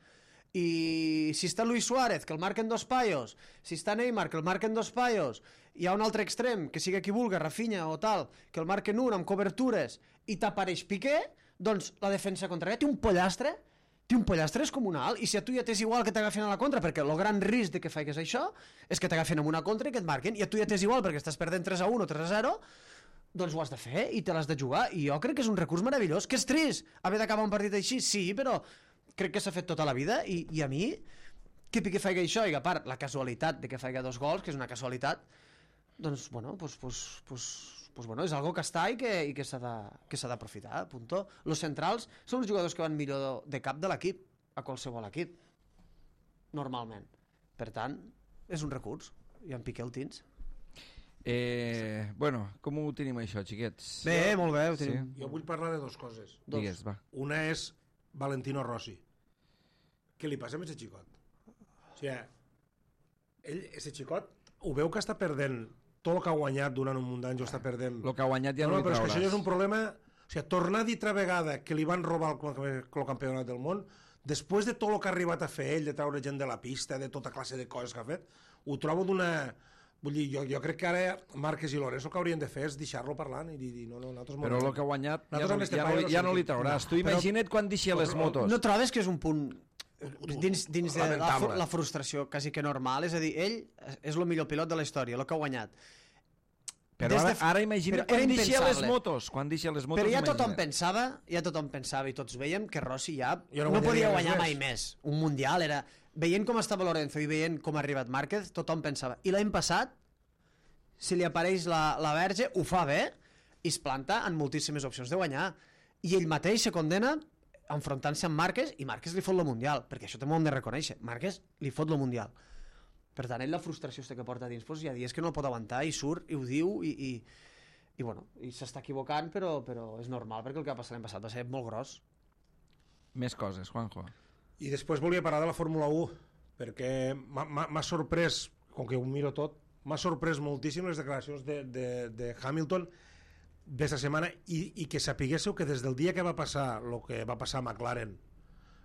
I si està Luis Suárez, que el marquen dos paios, si està Neymar, que el marquen dos paios, hi ha un altre extrem, que sigui qui vulgui, Rafinha o tal, que el marquen un amb cobertures i t'apareix Piqué, doncs la defensa contrària té un pollastre descomunal, i si a tu ja t'és igual que t'agafin a la contra, perquè el gran risc de que faigues això és que t'agafin amb una contra i que et marquen, i a tu ja t'és igual perquè estàs perdent 3-1 o 3-0, doncs ho has de fer i te l'has de jugar, i jo crec que és un recurs meravellós, que és trist haver d'acabar un partit així, sí, però crec que s'ha fet tota la vida, i a mi que Piqué faig això, i a part la casualitat de que faig 2 gols, que és una casualitat, doncs bueno, bueno, és algo que està i que s'ha d'aprofitar, punto. Los centrals són els jugadors que van millor de cap de l'equip, a qualsevol equip, normalment. Per tant, és un recurs, i en Piqué el tens. Bueno, com ho tenim això, xiquets? Bé, molt bé, ho tenim. Jo vull parlar de 2 coses. Digues, va. Una és Valentino Rossi. Què li passa amb aquest xicot? O sigui, aquest xicot, ho veu que està perdent tot el que ha guanyat durant un munt d'anys, ho està perdent. El que ha guanyat ja no li però trauràs. és que això ja és un problema. O sigui, tornar a dir altra vegada que li van robar el campionat del món, després de tot el que ha arribat a fer ell, de treure gent de la pista, de tota classe de coses que ha fet, ho trobo d'una... Vull dir, jo crec que ara Márquez i Lorenzo el que haurien de fer és deixar-lo parlant i dir, no, nosaltres... Però el que ha guanyat ja no li trauràs. Tu imagina't quan deixi les motos. No trobes que és un punt dins de la frustració quasi que normal? És a dir, ell és el millor pilot de la història, el que ha guanyat. Però ara imagina't quan deixi les motos. Però ja tothom pensava i tots veiem que Rossi ja no podia guanyar mai més. Un mundial era... Veient com estava Lorenzo i veient com ha arribat Márquez, tothom pensava. I l'any passat, si li apareix la Verge, ho fa bé i es planta en moltíssimes opcions de guanyar. I ell mateix se condena enfrontant-se amb Márquez, i Márquez li fot el Mundial, perquè això també ho hem de reconèixer. Márquez li fot el Mundial. Per tant, ell la frustració que porta dins, doncs, hi ha dies que no el pot aguantar i surt i ho diu i bueno, i s'està equivocant, però és normal, perquè el que va passar l'any passat va ser molt gros. Més coses, Juanjo. I després volia parlar de la Fórmula 1, perquè m'ha sorprès, com que ho miro tot, m'ha sorprès moltíssim les declaracions de Hamilton d'esta setmana, i que sapiguéssiu que des del dia que va passar el que va passar a McLaren,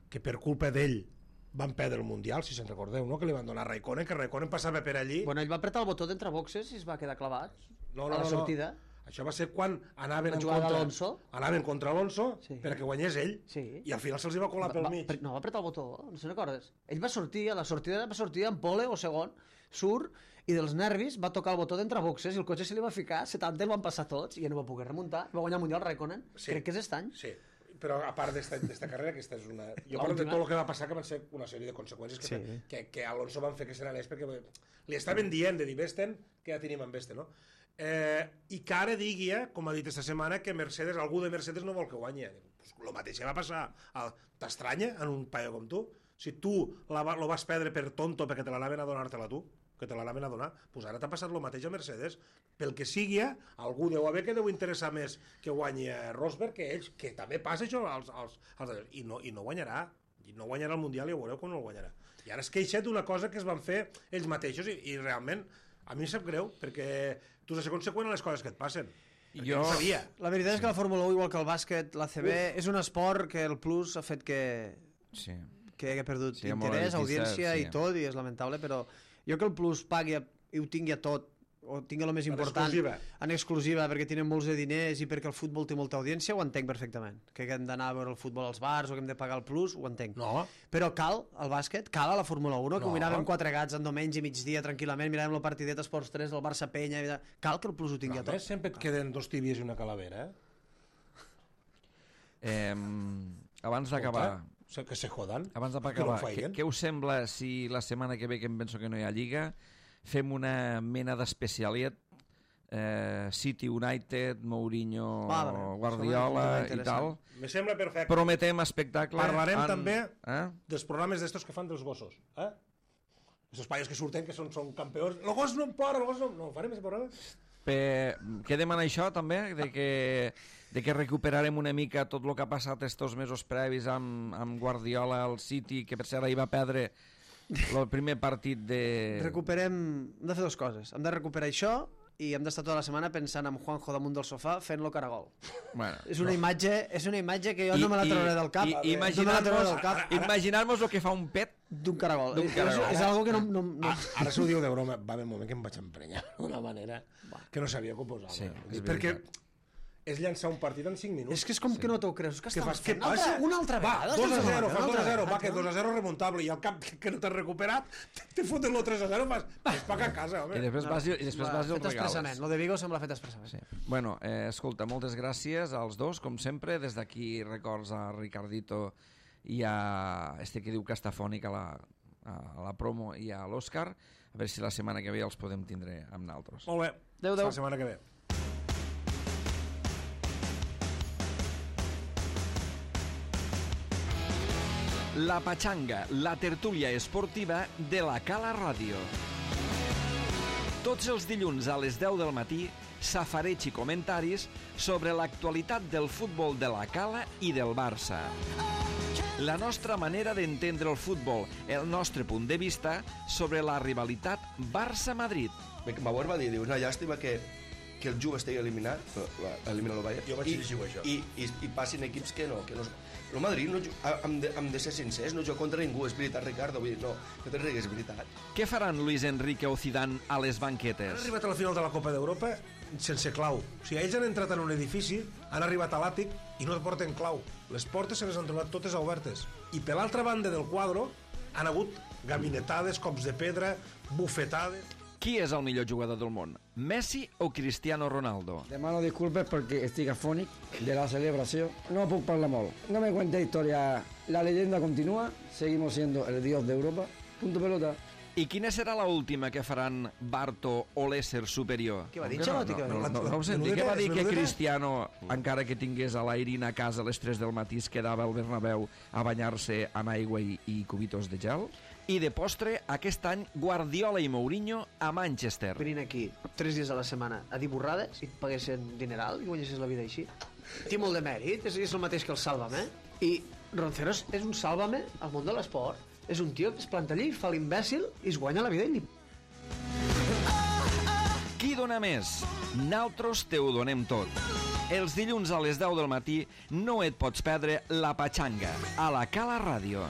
que per culpa d'ell van perdre el Mundial, si se'n recordeu, no? Que li van donar a Raikkonen, que Raikkonen passava per allí... Bueno, ell va apretar el botó d'entre boxes i es va quedar clavat a la sortida. Això va ser quan anaven contra Alonso, sí, perquè guanyés ell, sí, i al final se'ls va colar pel mig. No, va apretar el botó, no se'n recordes? Ell va sortir, a la sortida va sortir en pole o segon, surt, i dels nervis va tocar el botó d'entre boxes i el cotxe se li va ficar, 70 el van passar tots i ja no va poder remuntar, va guanyar el Mundial Raikkonen, sí, crec que és aquest any. Sí, però a part d'esta carrera, aquesta és una... Jo parlo de tot el que va passar, que van ser una sèrie de conseqüències que Alonso van fer que se n'anés, perquè li estaven dient de dir Vesten, que ja tenim amb Vesten, no? I que ara digui, com ha dit esta setmana, que Mercedes, algú de Mercedes no vol que guanyi. Pues lo mateix va passar. T'estranya en un paio com tu? Si tu lo vas perdre per tonto perquè te l'anaven a donar-te-la tu, que te l'anaven a donar, pues ara t'ha passat lo mateix a Mercedes. Pel que sigui, algú deu haver que deu interessar més que guanyi Rosberg que ells, que també passa això i no guanyarà. I no guanyarà el Mundial i ho veureu com no el guanyarà. I ara es queixa d'una cosa que es van fer ells mateixos i realment a mi em sap greu, perquè tu has de ser conseqüent a les coses que et passen. Jo no sabia. La veritat és que la Fórmula 1, igual que el bàsquet, l'ACB, és un esport que el plus ha fet que ha perdut interès, audiència i tot, i és lamentable, però jo que el plus pagui i ho tingui a tot, o tingui el més important en exclusiva perquè tenen molts de diners i perquè el futbol té molta audiència, ho entenc perfectament. Que hem d'anar a veure el futbol als bars o que hem de pagar el plus, ho entenc. No. Però cal el bàsquet, cal a la Fórmula 1, que ho miràvem 4 gats en diumenge i migdia tranquil·lament, miràvem el partidet Esports 3 del Barça-Penya, cal que el plus ho tingui a tot. Sempre et queden 2 tíbies i una calavera, Abans d'acabar... Que se jodan. Abans d'acabar, què us sembla si la setmana que ve, que em penso que no hi ha Lliga, fem una mena d'especialiet, City United, Mourinho, Guardiola i tal? Me sembla perfecte. Prometem espectacle. Parlarem també dels programes d'estos que fan dels gossos. Estos paios que surten, que són campions. El gos no em plora, el gos no... No, farem aquest programa? Quedem en això també, de que recuperarem una mica tot el que ha passat estos mesos previs amb Guardiola al City, que per cert ahir va perdre el primer partit de... Hem de fer 2 coses. Hem de recuperar això i hem d'estar tota la setmana pensant en Juanjo damunt del sofà fent-lo caragol. Bueno, és una imatge que jo no me la trauré del cap. Imaginar-nos el que fa un pet d'un caragol. És algo que no... Ara s'ho diu de broma. Va haver un moment que em vaig emprenyar d'una manera que no sabia com posar-me. Sí, perquè és llançar un partit en 5 minuts. És que és com que no t'ho creus. Què fas? Què passa? Una altra vegada. 2-0, fas 2-0, va, que 2-0 remuntable, i al cap que no t'has recuperat, te foten el 3-0, fas paga a casa, home. I després vas i el regales. Lo de Vigo sembla fet expressament. Sí. Bueno, escolta, moltes gràcies als dos, com sempre. Des d'aquí records a Ricardito i a este que diu que està fònic a la promo i a l'Òscar. A veure si la setmana que ve els podem tindre amb naltros. Molt bé. Adéu. La setmana que ve. La Pachanga, la tertúlia esportiva de la Cala Ràdio. Tots els dilluns a les 10 del matí, safareig i comentaris sobre l'actualitat del futbol de la Cala i del Barça. La nostra manera d'entendre el futbol, el nostre punt de vista sobre la rivalitat Barça-Madrid. Bauer va dir, una llàstima que el Juve estigui eliminat, elimina el Bayern, jo vaig llegir això. I passin equips que no. El Madrid, hem de ser sincers, no juga contra ningú, és veritat, Ricardo, vull dir, no te rigues, és veritat. Què faran Luis Enrique o Zidane a les banquetes? Han arribat a la final de la Copa d'Europa sense clau. O sigui, ells han entrat en un edifici, han arribat a l'àtic i no porten clau. Les portes se les han trobat totes obertes. I per l'altra banda del quadre han hagut gabinetades, cops de pedra, bufetades... Qui és el millor jugador del món? Messi o Cristiano Ronaldo? Demano disculpes perquè estic afònic de la celebració. No puc parlar molt. No me cuente historia. La leyenda continúa. Seguimos siendo el dios de Europa. Punto pelota. I quina serà l'última que faran Barto o l'ésser superior? Què va dir, Xalotti? No ho senti. Què va dir que Cristiano, encara que tingués a l'Airin a casa a les 3 del matí, es quedava al Bernabéu a banyar-se amb aigua i cubitos de gel? I de postre, aquest any, Guardiola i Mourinho a Manchester. Venint aquí 3 dies a la setmana a dir borrades i et paguessin dineral i guanyessis la vida així. Té molt de mèrit, és el mateix que el Sálvame. I Ronceros és un Sálvame al món de l'esport. És un tio que es planta allí, fa l'imbècil i es guanya la vida i Qui dona més? Naltros te ho donem tot. Els dilluns a les 10 del matí no et pots perdre La Pachanga a la Cala Ràdio.